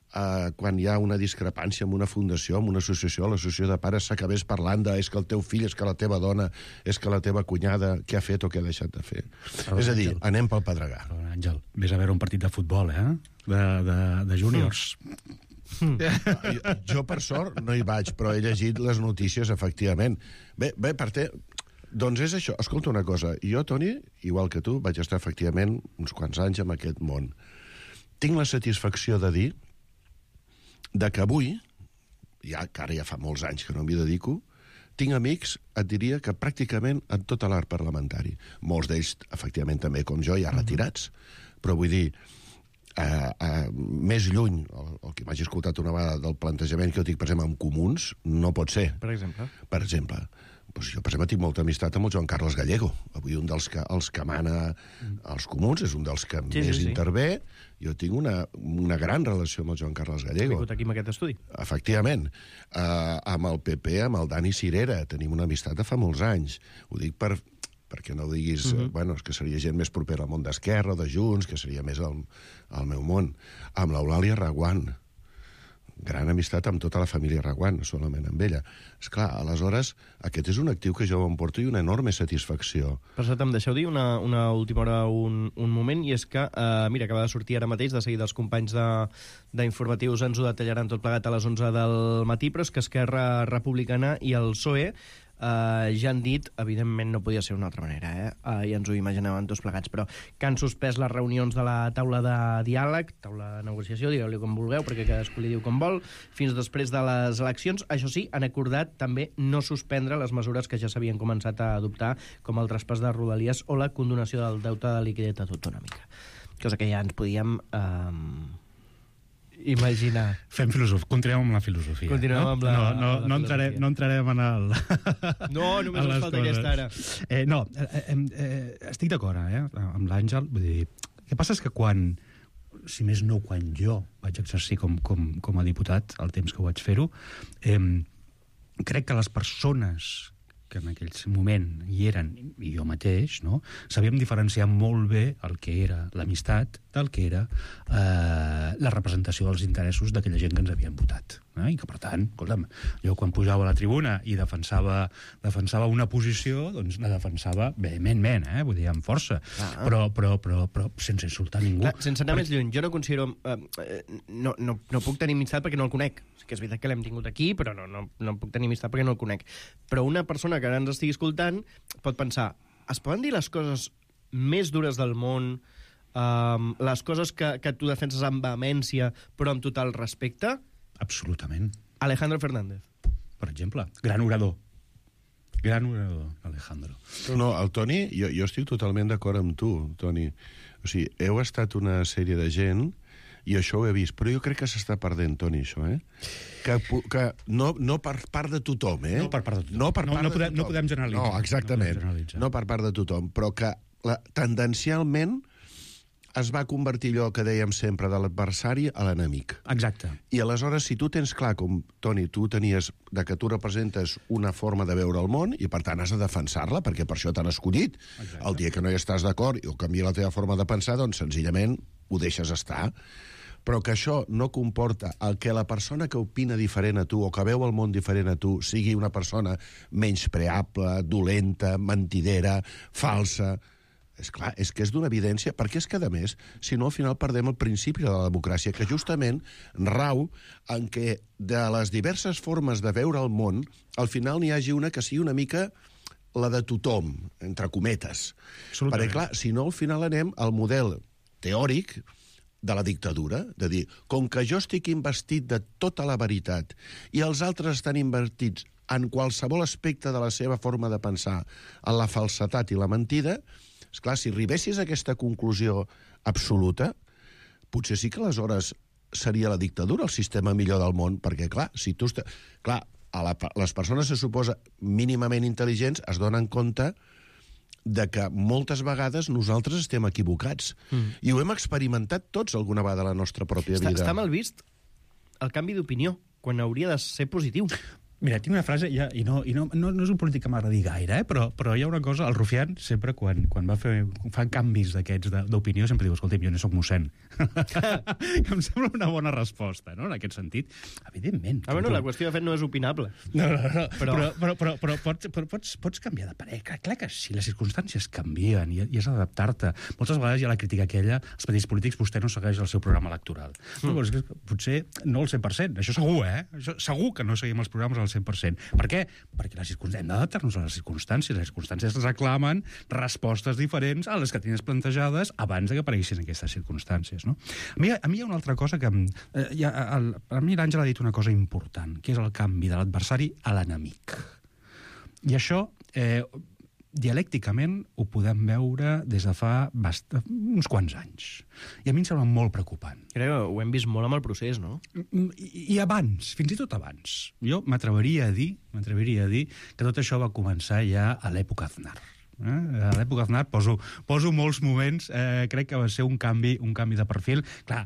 quan hi ha una discrepància amb una fundació, amb una associació, l'associació de pares s'acabés parlant de és que el teu fill, és que la teva dona, és que la teva cunyada, què ha fet o què ha deixat de fer? És a dir, anem pel pedregar. Àngel, vés a veure un partit de futbol, de júniors. Jo, per sort, no hi vaig, però he llegit les notícies, efectivament. Bé, doncs és això. Escolta una cosa, jo, Toni, igual que tu, vaig estar efectivament uns quants anys en aquest món. Tinc la satisfacció de dir que avui, que ara ja fa molts anys que no m'hi dedico, tinc amics, et diria que pràcticament en tot l'art parlamentari. Molts d'ells, efectivament, també, com jo, ja retirats. Però vull dir, més lluny, el que m'hagi escoltat una vegada del plantejament que jo tinc, per exemple, amb comuns, no pot ser. Per exemple? Per exemple, doncs jo, per exemple, tinc molta amistat amb el Joan Carles Gallego. Avui un dels que mana als comuns, és un dels que més intervé. Jo tinc una gran relació amb el Joan Carles Gallego. Ha vingut aquí amb aquest estudi. Efectivament. Amb el PP, amb el Dani Cirera, tenim una amistat de fa molts anys. Ho dic perquè no diguis, bueno, és que seria gent més propera al món d'Esquerra o de Junts, que seria més al meu món. Amb l'Eulàlia Reguant. Gran amistat amb tota la família Reguant, no solament amb ella. Esclar, aleshores, aquest és un actiu que jo em porto i una enorme satisfacció. Per cert, em deixeu dir una última hora, un moment, i és que, mira, acaba de sortir ara mateix, de seguida els companys d'informatius ens ho detallaran tot plegat a les 11 del matí, però és que Esquerra Republicana i el PSOE ja han dit, evidentment no podia ser d'una altra manera, ja ens ho imaginàvem tots plegats, però que han suspès les reunions de la taula de diàleg, taula de negociació, digueu-li com vulgueu, perquè cadascú li diu com vol, fins després de les eleccions. Això sí, han acordat també no suspendre les mesures que ja s'havien començat a adoptar, com el traspàs de Rodalies o la condonació del deute de liquiditat autonòmica. Cosa que ja ens podíem imaginar. Fem filosofia. Continuem amb la filosofia. Continuem amb la filosofia. No entrarem en el... No, només ens falta aquesta ara. Estic d'acord amb l'Àngel. Vull dir, el que passa és que quan, si més no, quan jo vaig exercir com a diputat, el temps que vaig fer-ho, crec que les persones que en aquell moment hi eren, i jo mateix, no? Sabíem diferenciar molt bé el que era l'amistat del que era la representació dels interessos d'aquella gent que ens havien votat. I que, per tant, escolta'm, jo quan pujava a la tribuna i defensava una posició, doncs la defensava vehementment, vull dir, amb força, però sense insultar ningú. Clar, sense anar més lluny, jo no considero... No puc tenir amistat perquè no el conec. Que és veritat que l'hem tingut aquí, però no puc tenir amistat perquè no el conec. Però una persona que ara ens estigui escoltant pot pensar, es poden dir les coses més dures del món, les coses que tu defenses amb vehemència, però amb total respecte? Absolutament. Alejandro Fernández. Per exemple, gran orador. Gran orador, Alejandro. No, el Toni, jo estic totalment d'acord amb tu, Toni. O sigui, heu estat una sèrie de gent i això ho he vist, però jo crec que s'està perdent, Toni, això, que no per part de tothom, No per part de tothom. No podem generalitzar. No, exactament. No per part de tothom, però que tendencialment es va convertir allò que dèiem sempre de l'adversari a l'enemic. Exacte. I aleshores, si tu tens clar, com, Toni, tu tenies de que tu representes una forma de veure el món i, per tant, has de defensar-la, perquè per això t'han escollit. Exacte. El dia que no hi estàs d'acord o canvia la teva forma de pensar, doncs senzillament ho deixes estar. Però que això no comporta el que la persona que opina diferent a tu o que veu el món diferent a tu sigui una persona menyspreable, dolenta, mentidera, falsa. És clar, és que és d'una evidència, perquè és que, a més, si no, al final perdem el principi de la democràcia, que justament rau en què de les diverses formes de veure el món, al final n'hi hagi una que sigui una mica la de tothom, entre cometes. Perquè, clar, si no, al final anem al model teòric de la dictadura, de dir, com que jo estic investit de tota la veritat i els altres estan invertits en qualsevol aspecte de la seva forma de pensar, en la falsetat i la mentida, esclar, si arribessis a aquesta conclusió absoluta, potser sí que aleshores seria la dictadura el sistema millor del món, perquè, clar, si tu... Clar, les persones, se suposa, mínimament intel·ligents, es donen compte de que moltes vegades nosaltres estem equivocats. I ho hem experimentat tots alguna vegada a la nostra pròpia vida. Està mal vist el canvi d'opinió, quan hauria de ser positiu. Mira, tinc una frase, i no és un polític que m'agradi gaire, però hi ha una cosa, el Rufián sempre, quan fan canvis d'aquests d'opinió, sempre diu, escolta'm, jo no soc mossèn. Que em sembla una bona resposta, no?, en aquest sentit. Evidentment. Bueno, la qüestió, de fet, no és opinable. No. Però pots canviar de parer. Clar que sí, les circumstàncies canvien i has d'adaptar-te. Moltes vegades hi ha la crítica aquella, els partits polítics, vostè no segueix el seu programa electoral. Potser no el 100%, això segur, Això segur que no seguim els programes al 100%. Per què? Perquè hem d'adaptar-nos a les circumstàncies. Les circumstàncies reclamen respostes diferents a les que tenies plantejades abans que apareguessin aquestes circumstàncies. No? A mi hi ha una altra cosa que... A mi l'Àngel ha dit una cosa important, que és el canvi de l'adversari a l'enemic. I això... dialècticament ho podem veure des de fa uns quants anys. I a mi em sembla molt preocupant. Crec que ho hem vist molt amb el procés, no? I abans, fins i tot abans. Jo m'atreviria a dir que tot això va començar ja a l'època Aznar. A l'època Aznar poso molts moments, crec que va ser un canvi de perfil. Clar,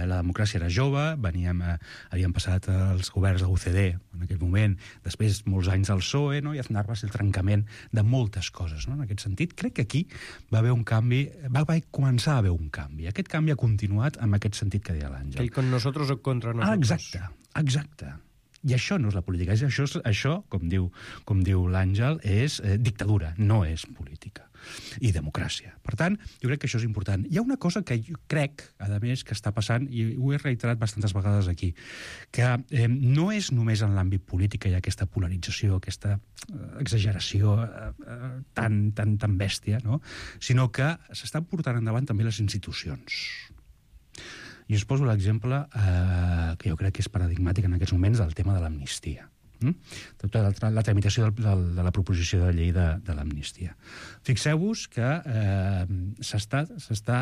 la democràcia era jove, havíem passat els governs de l'UCD en aquell moment, després molts anys del PSOE, no? I Aznar va ser el trencament de moltes coses, no? En aquest sentit, crec que aquí va haver un canvi, va començar a haver un canvi. Aquest canvi ha continuat amb aquest sentit que deia l'Àngel. El con nosotros o contra nosotros. Exacte. I això no és la política. Això, com diu l'Àngel, és dictadura, no és política. I democràcia. Per tant, jo crec que això és important. Hi ha una cosa que jo crec, a més, que està passant, i ho he reiterat bastantes vegades aquí, que no és només en l'àmbit polític que hi ha aquesta polarització, aquesta exageració tan bèstia, no? Sinó que s'estan portant endavant també les institucions. I us poso l'exemple que jo crec que és paradigmàtic en aquests moments del tema de l'amnistia. Tota la tramitació de la proposició de llei de l'amnistia. Fixeu-vos que s'està,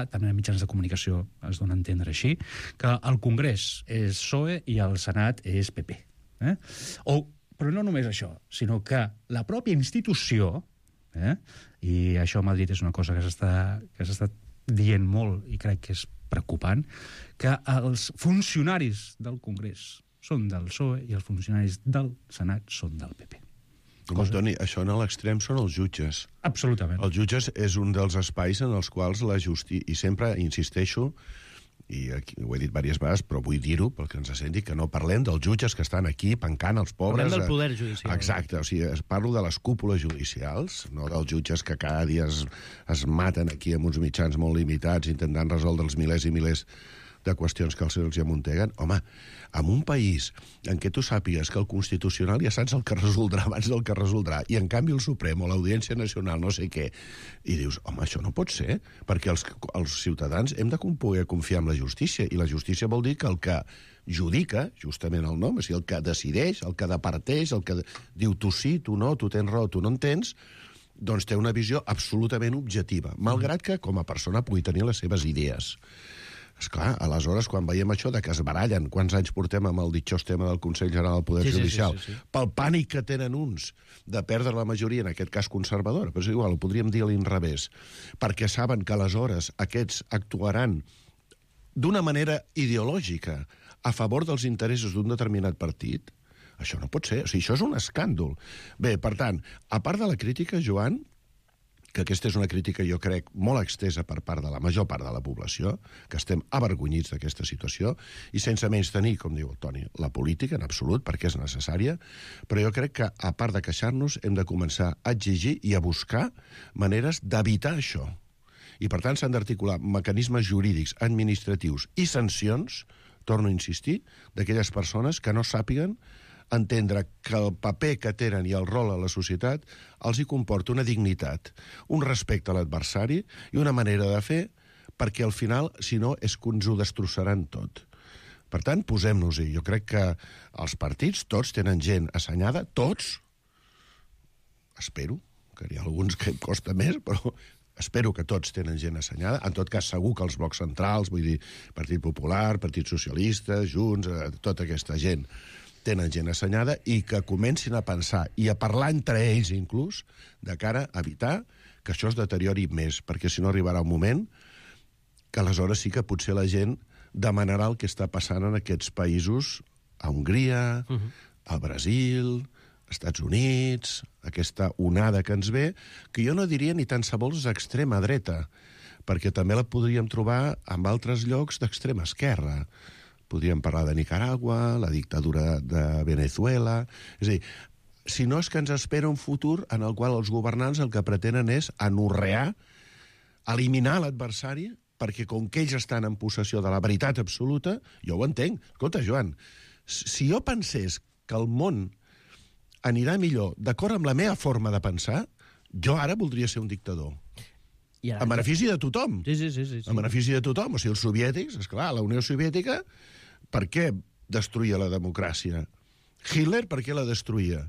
també en mitjans de comunicació es dona a entendre així, que el Congrés és PSOE i el Senat és PP. Però no només això, sinó que la pròpia institució, i això a Madrid és una cosa que s'està dient molt i crec que és preocupant, que els funcionaris del Congrés són del PSOE i els funcionaris del Senat són del PP. Toni, això en l'extrem són els jutges. Absolutament. Els jutges és un dels espais en els quals la justícia... I sempre insisteixo, i aquí ho he dit diverses vegades, però vull dir-ho perquè ens senti, que no parlem dels jutges que estan aquí pencant els pobres... Parlem del poder judicial. Exacte, o sigui, parlo de les cúpules judicials, no dels jutges que cada dia es maten aquí amb uns mitjans molt limitats intentant resoldre els milers i milers de qüestions que els amunteguen. Home, en un país en què tu sàpigues que el Constitucional ja saps el que resoldrà abans del que resoldrà, i en canvi el Suprem o l'Audiència Nacional no sé què, i dius, home, això no pot ser, perquè els ciutadans hem de poder confiar en la justícia, i la justícia vol dir que el que judica, justament el nom, és el que decideix, el que departeix, el que diu tu sí, tu no, tu tens raó, tu no en tens, doncs té una visió absolutament objectiva, malgrat que com a persona pugui tenir les seves idees. Esclar, aleshores, quan veiem això de que es barallen, quants anys portem amb el ditxós tema del Consell General del Poder Judicial, pel pànic que tenen uns de perdre la majoria, en aquest cas conservadora, però és igual, ho podríem dir a l'inrevés, perquè saben que aleshores aquests actuaran d'una manera ideològica a favor dels interessos d'un determinat partit, això no pot ser. O sigui, això és un escàndol. Bé, per tant, a part de la crítica, Joan, que aquesta és una crítica, jo crec, molt extesa per part de la major part de la població, que estem avergonyits d'aquesta situació, i sense menys tenir, com diu el Toni, la política, en absolut, perquè és necessària, però jo crec que, a part de queixar-nos, hem de començar a exigir i a buscar maneres d'evitar això. I, per tant, s'han d'articular mecanismes jurídics, administratius i sancions, torno a insistir, d'aquelles persones que no sàpiguen entendre que el paper que tenen i el rol a la societat els hi comporta una dignitat, un respecte a l'adversari i una manera de fer, perquè al final, si no, és que ens ho destrossaran tot. Per tant, posem-nos-hi. Jo crec que els partits, tots tenen gent assenyada, tots, espero, que hi ha alguns que em costa més, però espero que tots tenen gent assenyada. En tot cas, segur que els blocs centrals, vull dir, Partit Popular, Partit Socialista, Junts, tota aquesta gent, tenen gent assenyada i que comencin a pensar i a parlar entre ells inclús de cara a evitar que això es deteriori més, perquè si no arribarà un moment que aleshores sí que potser la gent demanarà el que està passant en aquests països, a Hongria, al Brasil, als Estats Units, aquesta onada que ens ve, que jo no diria ni tan sols extrema dreta, perquè també la podríem trobar en altres llocs d'extrema esquerra. Podríem parlar de Nicaragua, la dictadura de Venezuela. És a dir, si no és que ens espera un futur en el qual els governants el que pretenen és anorrear, eliminar l'adversari, perquè com que ells estan en possessió de la veritat absoluta, jo ho entenc. Escolta, Joan, si jo pensés que el món anirà millor d'acord amb la meva forma de pensar, jo ara voldria ser un dictador. En benefici de tothom. Sí. En benefici de tothom. O sigui, els soviètics, esclar, la Unió Soviètica, per què destruïa la democràcia? Hitler, per què la destruïa?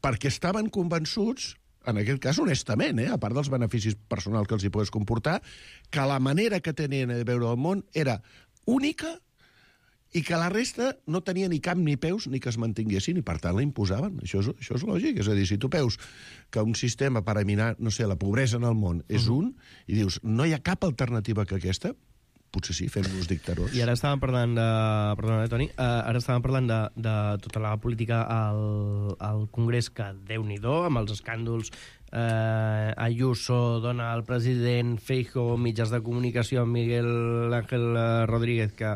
Perquè estaven convençuts, en aquest cas honestament, a part dels beneficis personals que els hi pogués comportar, que la manera que tenien de veure el món era única i que la resta no tenia ni cap ni peus ni que es mantinguessin, i per tant la imposaven. Això és lògic. És a dir, si tu veus que un sistema per eliminar, no sé, la pobresa en el món és un, i dius, no hi ha cap alternativa que aquesta, potser sí, fem-nos dictadors. I ara estàvem parlant de... Perdona, Toni. Ara estàvem parlant de tota la política al Congrés, que Déu-n'hi-do, amb els escàndols Ayuso, dona al president, Feijóo, mitjans de comunicació, Miguel Ángel Rodríguez, que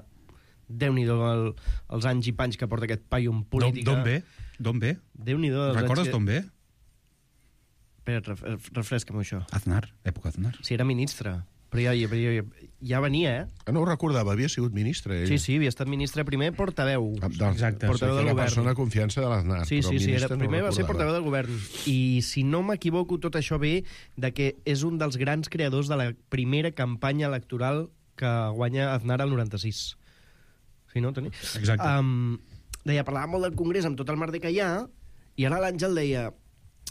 Déu-n'hi-do els anys i panys que porta aquest paio en política. D'on ve? Déu-n'hi-do. Recordes d'on ve? Espera, refresca'm això. Aznar, època Aznar. Sí, era ministre. Però ja venia, No ho recordava, havia sigut ministre. Ella. Sí, havia estat ministre primer portaveu. Exacte. Portaveu del govern. La persona de confiança de l'Aznar. Sí, primer va ser portaveu del govern. I si no m'equivoco, tot això ve de que és un dels grans creadors de la primera campanya electoral que guanya Aznar al 96. Sí, no, Toni? Exacte. Deia, parlàvem molt del Congrés amb tot el merder que hi ha, i ara l'Àngel deia,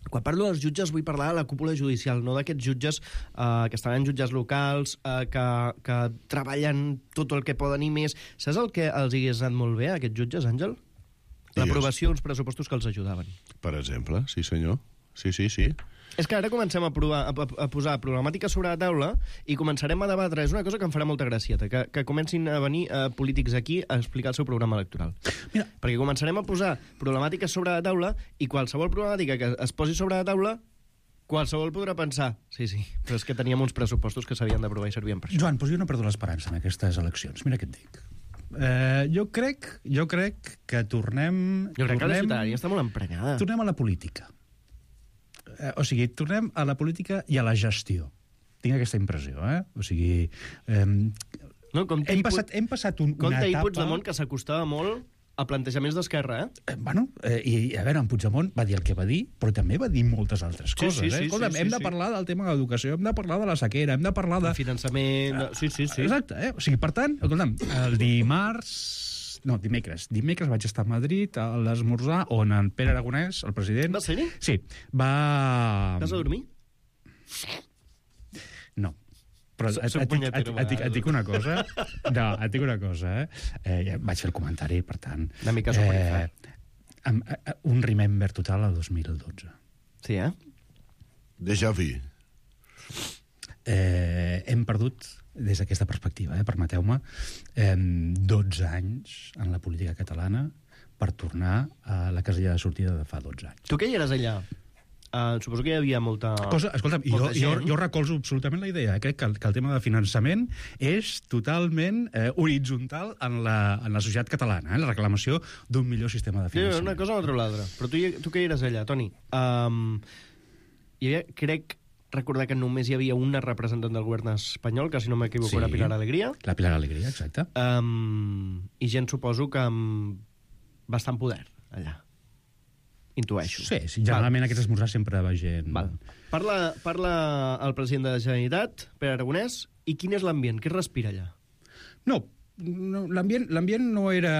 quan parlo dels jutges vull parlar de la cúpula judicial, no d'aquests jutges que estan en jutges locals, que treballen tot el que poden i més. Saps el que els hagués anat molt bé a aquests jutges, Àngel? L'aprovació d'uns pressupostos que els ajudaven. Per exemple, sí senyor. Sí. És que ara comencem a posar problemàtiques sobre la taula i començarem a debatre. És una cosa que em farà molta gracieta, que comencin a venir polítics aquí a explicar el seu programa electoral. Mira. Perquè començarem a posar problemàtiques sobre la taula i qualsevol problemàtica que es posi sobre la taula, qualsevol podrà pensar, sí, però és que teníem uns pressupostos que s'havien d'aprovar i servien per això. Joan, doncs jo no perdo l'esperança en aquestes eleccions. Mira què et dic. Jo crec que tornem... Jo crec que la ciutadania està molt emprenyada. Tornem a la política. O sigui, tornem a la política i a la gestió. Tinc aquesta impressió, O sigui... hem passat una etapa... Compte i Puigdemont, que s'acostava molt a plantejaments d'Esquerra, I a veure, en Puigdemont va dir el que va dir, però també va dir moltes altres coses, Escolta'm, hem de parlar del tema de l'educació, hem de parlar de la sequera, hem de parlar de... finançament... Sí. Exacte, O sigui, per tant, escolta'm, el dimecres vaig estar a Madrid a l'esmorzar on en Pere Aragonès, el president... Va ser-hi? Sí, va... Vas a dormir? No. Però Soc punyetero, et dic una cosa. No, et dic una cosa, ja vaig fer el comentari, per tant... Una mica soporífer. Un remember total al 2012. Sí, Déjà vu. Hem perdut, des d'aquesta perspectiva, permeteu-me, 12 anys en la política catalana per tornar a la casella de sortida de fa 12 anys. Tu que hi eres allà? Suposo que hi havia molta Escolta'm, jo recolzo absolutament la idea. Crec que el tema de finançament és totalment horitzontal en la societat catalana, la reclamació d'un millor sistema de finançament. Una cosa o l'altra. Però tu que hi eres allà, Toni? Hi havia, crec recordar que només hi havia una representant del govern espanyol, que si no m'equivoco era Pilar Alegría. La Pilar Alegría, exacte. I gent, suposo que amb bastant poder allà. Intueixo. Sí, generalment aquests esmorzars sempre va gent... Parla el president de la Generalitat, Pere Aragonès, i quin és l'ambient? Què es respira allà? No, l'ambient no era...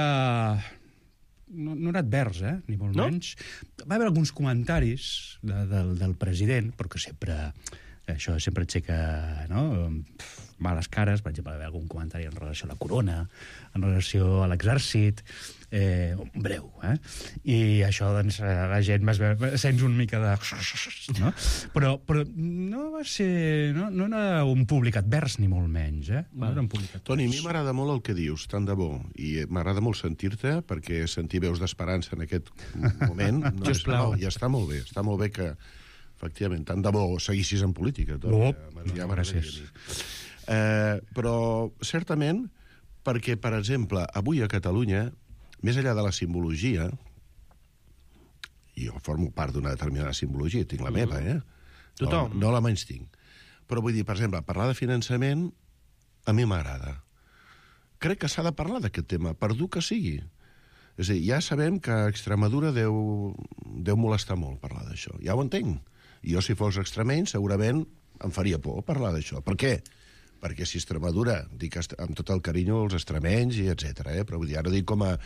No era advers, ni molt menys. Va haver alguns comentaris del president, però que sempre... Això sempre aixeca males cares. Per exemple, va haver algun comentari en relació a la corona, en relació a l'exèrcit, breu, I això, doncs, la gent sents una mica de... No? Però no va ser... No era un públic advers, ni molt menys, No era un públic advers. Toni, a mi m'agrada molt el que dius, tant de bo, i m'agrada molt sentir-te, perquè sentir veus d'esperança en aquest moment ja està molt bé. Està molt bé que, efectivament, tant de bo seguissis en política. Gràcies. Però, certament, perquè, per exemple, avui a Catalunya, més enllà de la simbologia, i jo formo part d'una determinada simbologia, tinc la meva, Tothom. No la menys tinc. Però vull dir, per exemple, parlar de finançament a mi m'agrada. Crec que s'ha de parlar d'aquest tema, per dur que sigui. És a dir, ja sabem que a Extremadura deu molestar molt parlar d'això. Ja ho entenc. I jo, si fos extremeny, segurament em faria por parlar d'això. Per què? Perquè si Extremadura, dic amb tot el carinyo als extremenys i etc., però vull dir, ara dic com a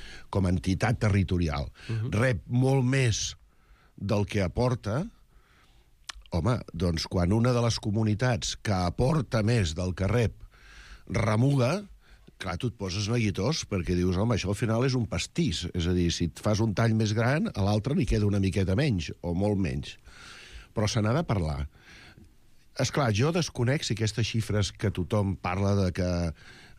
entitat territorial, rep molt més del que aporta, home, doncs quan una de les comunitats que aporta més del que rep remuga, clar, tu et poses neguitós perquè dius, home, això al final és un pastís. És a dir, si et fas un tall més gran, a l'altre li queda una miqueta menys, o molt menys. Però se n'ha de parlar. Esclar, jo desconec si aquestes xifres que tothom parla de que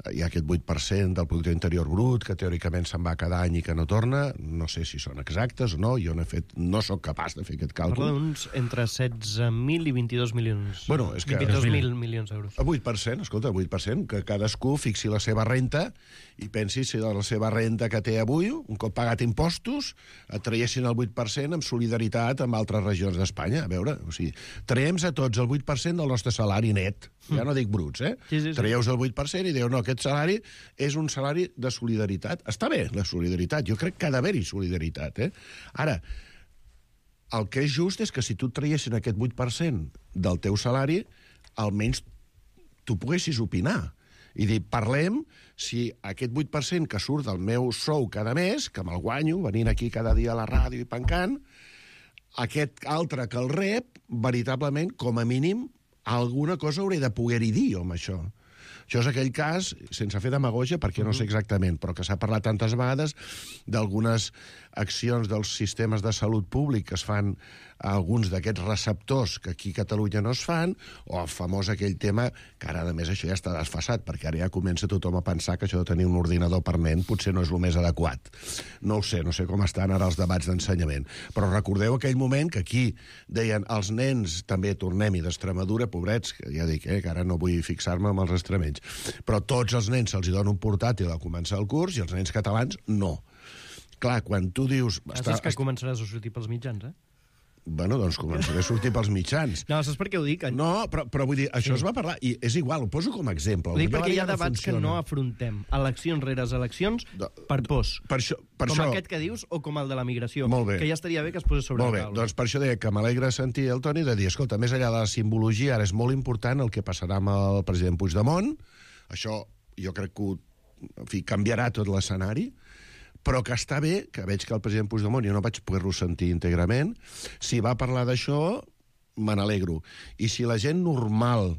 hi ha aquest 8% del producte interior brut, que teòricament se'n va cada any i que no torna, no sé si són exactes o no, jo no soc capaç de fer aquest càlcul. Parla d'uns entre 16.000 i 22 milions. Bueno, és que... 22.000 milions d'euros. El 8%, escolta, el 8%, que cadascú fixi la seva renta i pensi si la seva renta que té avui, un cop pagat impostos, et traiessin el 8% amb solidaritat amb altres regions d'Espanya. A veure, o sigui, traiem a tots el 8% del nostre salari net. Ja no dic bruts, Sí. Traieu el 8% i dieu, no, aquest salari és un salari de solidaritat. Està bé, la solidaritat. Jo crec que ha d'haver-hi solidaritat, Ara, el que és just és que si tu et traiessin aquest 8% del teu salari, almenys tu poguessis opinar. I dir, parlem si aquest 8% que surt del meu sou cada mes, que me'l guanyo, venint aquí cada dia a la ràdio i pencant, aquest altre que el rep, veritablement, com a mínim, alguna cosa hauré de poder-hi dir, amb això. Això és aquell cas, sense fer demagogia, perquè no sé exactament, però que s'ha parlat tantes vegades d'algunes accions dels sistemes de salut públic que es fan a alguns d'aquests receptors que aquí a Catalunya no es fan, o el famós aquell tema, que ara, a més, això ja està desfasat, perquè ara ja comença tothom a pensar que això de tenir un ordinador per nen potser no és el més adequat. No ho sé, no sé com estan ara els debats d'ensenyament. Però recordeu aquell moment que aquí deien els nens, també tornem-hi d'Extremadura, pobrets, que ja dic, que ara no vull fixar-me amb els extremenys, però tots els nens se'ls dona un portàtil a començar el curs i els nens catalans no. Clar, quan tu dius... Saps que començaràs a sortir pels mitjans, Bueno, doncs començaré a sortir pels mitjans. No, saps per què ho dic? No, però vull dir, això es va parlar, i és igual, ho poso com a exemple. Ho dic perquè hi ha debats que no afrontem, eleccions rere eleccions, per pors. Com aquest que dius, o com el de la migració, que ja estaria bé que es posés sobre la taula. Molt bé, doncs per això deia que m'alegra sentir el Toni de dir, escolta, més enllà de la simbologia, ara és molt important el que passarà amb el president Puigdemont, això jo crec que canviarà tot l'escenari, però que està bé, que veig que el president Puigdemont, jo no vaig poder-lo sentir íntegrament, si va parlar d'això, me n'alegro. I si la gent normal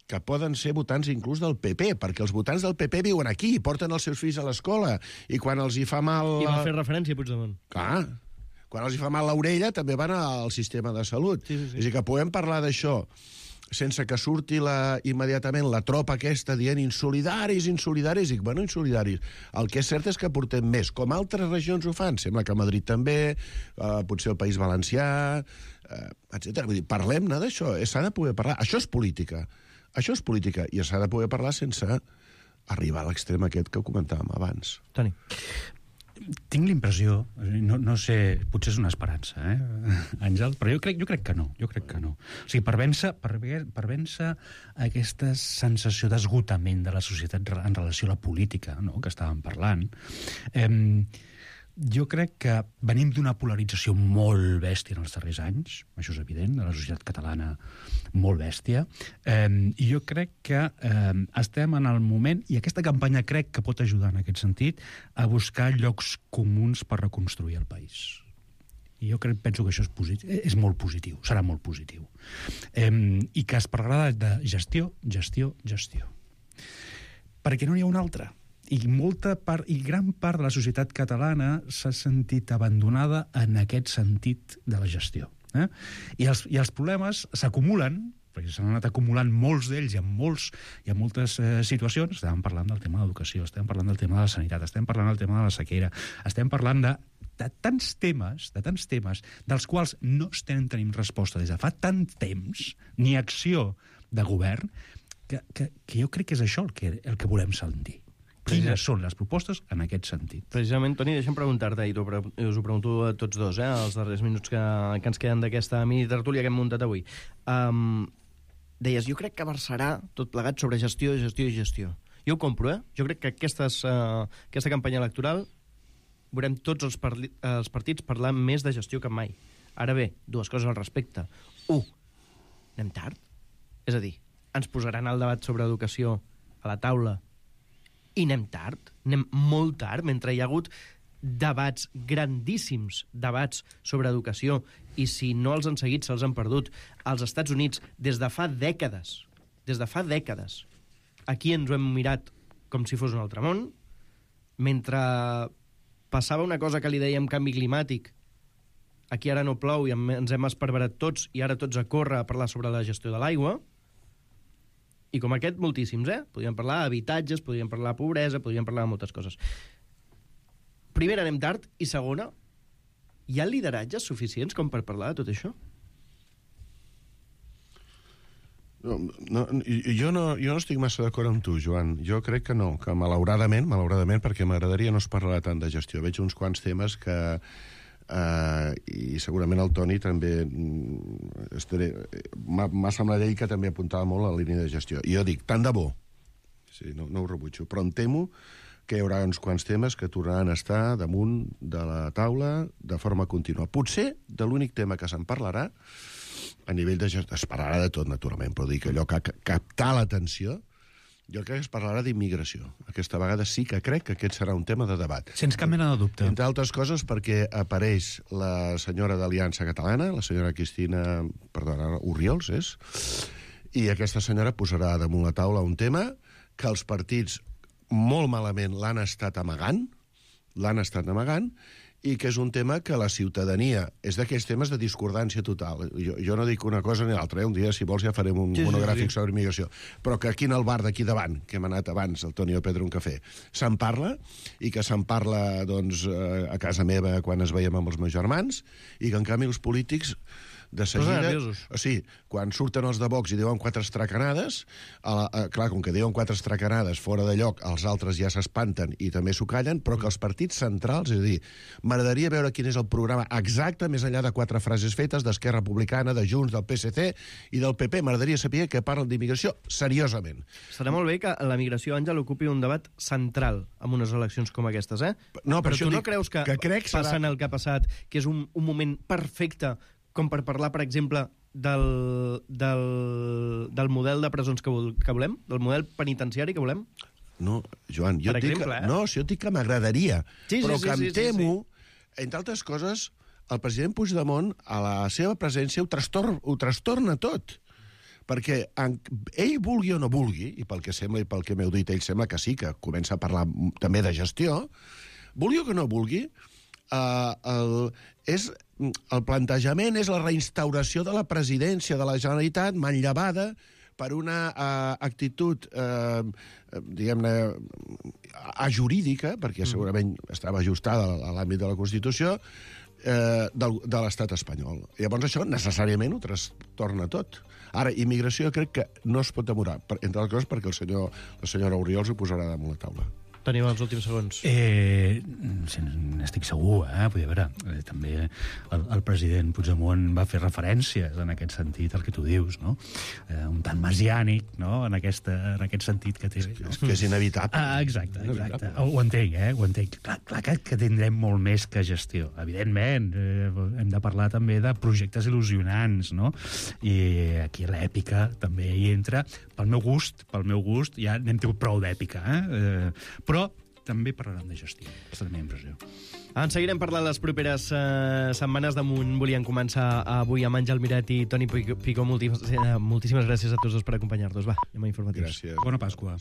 que poden ser votants inclús del PP, perquè els votants del PP viuen aquí, porten els seus fills a l'escola, i quan els hi fa mal... I va fer referència a Puigdemont. Clar, quan els hi fa mal l'orella també van al sistema de salut. Sí. És a dir, que podem parlar d'això sense que surti immediatament la tropa aquesta dient insolidaris, i bueno, insolidaris. El que és cert és que portem més, com altres regions ho fan. Sembla que a Madrid també, potser el País Valencià, etc. Vull dir, parlem-ne d'això, s'ha de poder parlar. Això és política, i s'ha de poder parlar sense arribar a l'extrem aquest que comentàvem abans. Toni. Tinc l'impressió, no sé, potser és una esperança, Àngel, però jo crec que no. O sigui, per vèncer aquesta sensació d'esgotament de la societat en relació a la política, no?, que estàvem parlant, jo crec que venim d'una polarització molt bèstia en els darrers anys, això és evident, de la societat catalana molt bèstia, i jo crec que estem en el moment, i aquesta campanya crec que pot ajudar en aquest sentit, a buscar llocs comuns per reconstruir el país. I jo penso que això és molt positiu, serà molt positiu. I que es parlarà de gestió. Perquè no n'hi ha una altra. I gran part de la societat catalana s'ha sentit abandonada en aquest sentit de la gestió. I els problemes s'acumulen, perquè s'han anat acumulant molts d'ells i en moltes situacions. Estem parlant del tema de l'educació, estem parlant del tema de la sanitat, estem parlant del tema de la sequera, estem parlant de tants temes dels quals no estem tenint resposta des de fa tant temps, ni acció de govern, que jo crec que és això el que volem sentir. Quines són les propostes en aquest sentit? Precisament, Toni, deixa'm preguntar-te, i us ho pregunto a tots dos, els darrers minuts que ens queden d'aquesta mini-tertúlia que hem muntat avui. Deies, jo crec que versarà tot plegat sobre gestió. Jo ho compro, Jo crec que aquesta campanya electoral veurem tots els partits parlar més de gestió que mai. Ara bé, dues coses al respecte. 1. Anem tard? És a dir, ens posaran el debat sobre educació a la taula i anem tard, anem molt tard, mentre hi ha hagut debats grandíssims, debats sobre educació, i si no els han seguit, se'ls han perdut. Als Estats Units, des de fa dècades, aquí ens ho hem mirat com si fos un altre món, mentre passava una cosa que li dèiem canvi climàtic, aquí ara no plou i ens hem esparverat tots, i ara tots a córrer a parlar sobre la gestió de l'aigua. I com aquest, moltíssims, Podríem parlar d'habitatges, podríem parlar de pobresa, podríem parlar de moltes coses. Primera, anem tard, i segona, hi ha lideratges suficients com per parlar de tot això? Jo no estic massa d'acord amb tu, Joan. Jo crec que no, que malauradament, perquè m'agradaria no es parlarà tant de gestió. Veig uns quants temes que... i segurament el Toni també m'ha semblat ell que també apuntava molt a la línia de gestió. I jo dic, tant de bo, sí, no ho rebutjo, però em temo que hi haurà uns quants temes que tornaran a estar damunt de la taula de forma contínua. Potser de l'únic tema que se'n parlarà a nivell de gestió, es parlarà de tot, naturalment, però dic allò que captar l'atenció, jo crec que es parlarà d'immigració. Aquesta vegada sí que crec que aquest serà un tema de debat. Sense cap mena de dubte. Entre altres coses perquè apareix la senyora d'Aliança Catalana, la senyora Cristina, Orriols, i aquesta senyora posarà damunt la taula un tema que els partits molt malament l'han estat amagant, i que és un tema que la ciutadania... És d'aquells temes de discordància total. Jo no dic una cosa ni l'altra. Un dia, si vols, ja farem un monogràfic sobre immigració. Però que aquí en el bar d'aquí davant, que hem anat abans, el Toni i el Pedro, un cafè, se'n parla, i que se'n parla doncs, a casa meva quan es veiem amb els meus germans, i que, en canvi, els polítics de seguida... O sigui, quan surten els de Vox i diuen 4 estracanades, clar, com que diuen 4 estracanades fora de lloc, els altres ja s'espanten i també s'ho callen, però que els partits centrals, és a dir, m'agradaria veure quin és el programa exacte, més enllà de 4 frases fetes d'Esquerra Republicana, de Junts, del PSC i del PP. M'agradaria saber que parlen d'immigració seriosament. Serà molt bé que la migració, Àngel, ocupi un debat central en unes eleccions com aquestes, No, però tu no creus que passant el que ha passat, que és un moment perfecte com per parlar, per exemple, del model de presons que volem? Del model penitenciari que volem? No, Joan, jo dic que m'agradaria, però que em temo, entre altres coses, el president Puigdemont, a la seva presència, ho trastorna tot. perquè ell vulgui o no vulgui, i pel que sembla i pel que m'heu dit, ell sembla que sí, que comença a parlar també de gestió, vulgui o que no vulgui, el plantejament és la reinstauració de la presidència de la Generalitat manllevada per una actitud, diguem-ne, ajurídica, perquè segurament estava ajustada a l'àmbit de la Constitució, de l'estat espanyol. Llavors això necessàriament ho trastorna tot. Ara, immigració crec que no es pot demorar, entre altres coses perquè la senyora Oriols ho posarà damunt la taula. Tenim els últims segons. N'estic segur, vull dir, també el president Puigdemont va fer referències en aquest sentit, el que tu dius, no? Un tant mesiànic, no?, en aquest sentit que té. És que és inevitable. Exacte. Ho entenc, ho entenc. Clar que tindrem molt més que gestió. Evidentment, hem de parlar també de projectes il·lusionants, no? I aquí l'èpica també hi entra. Pel meu gust, ja n'hem tingut prou d'èpica, però també parlarem de gestió. És la meva impressió. En seguirem parlant les properes setmanes. Damunt volíem començar avui amb Àngel Miret i Toni Picó. Moltíssimes gràcies a tots dos per acompanyar-nos. Va, anem a informatius. Gràcies. Bona Pasqua.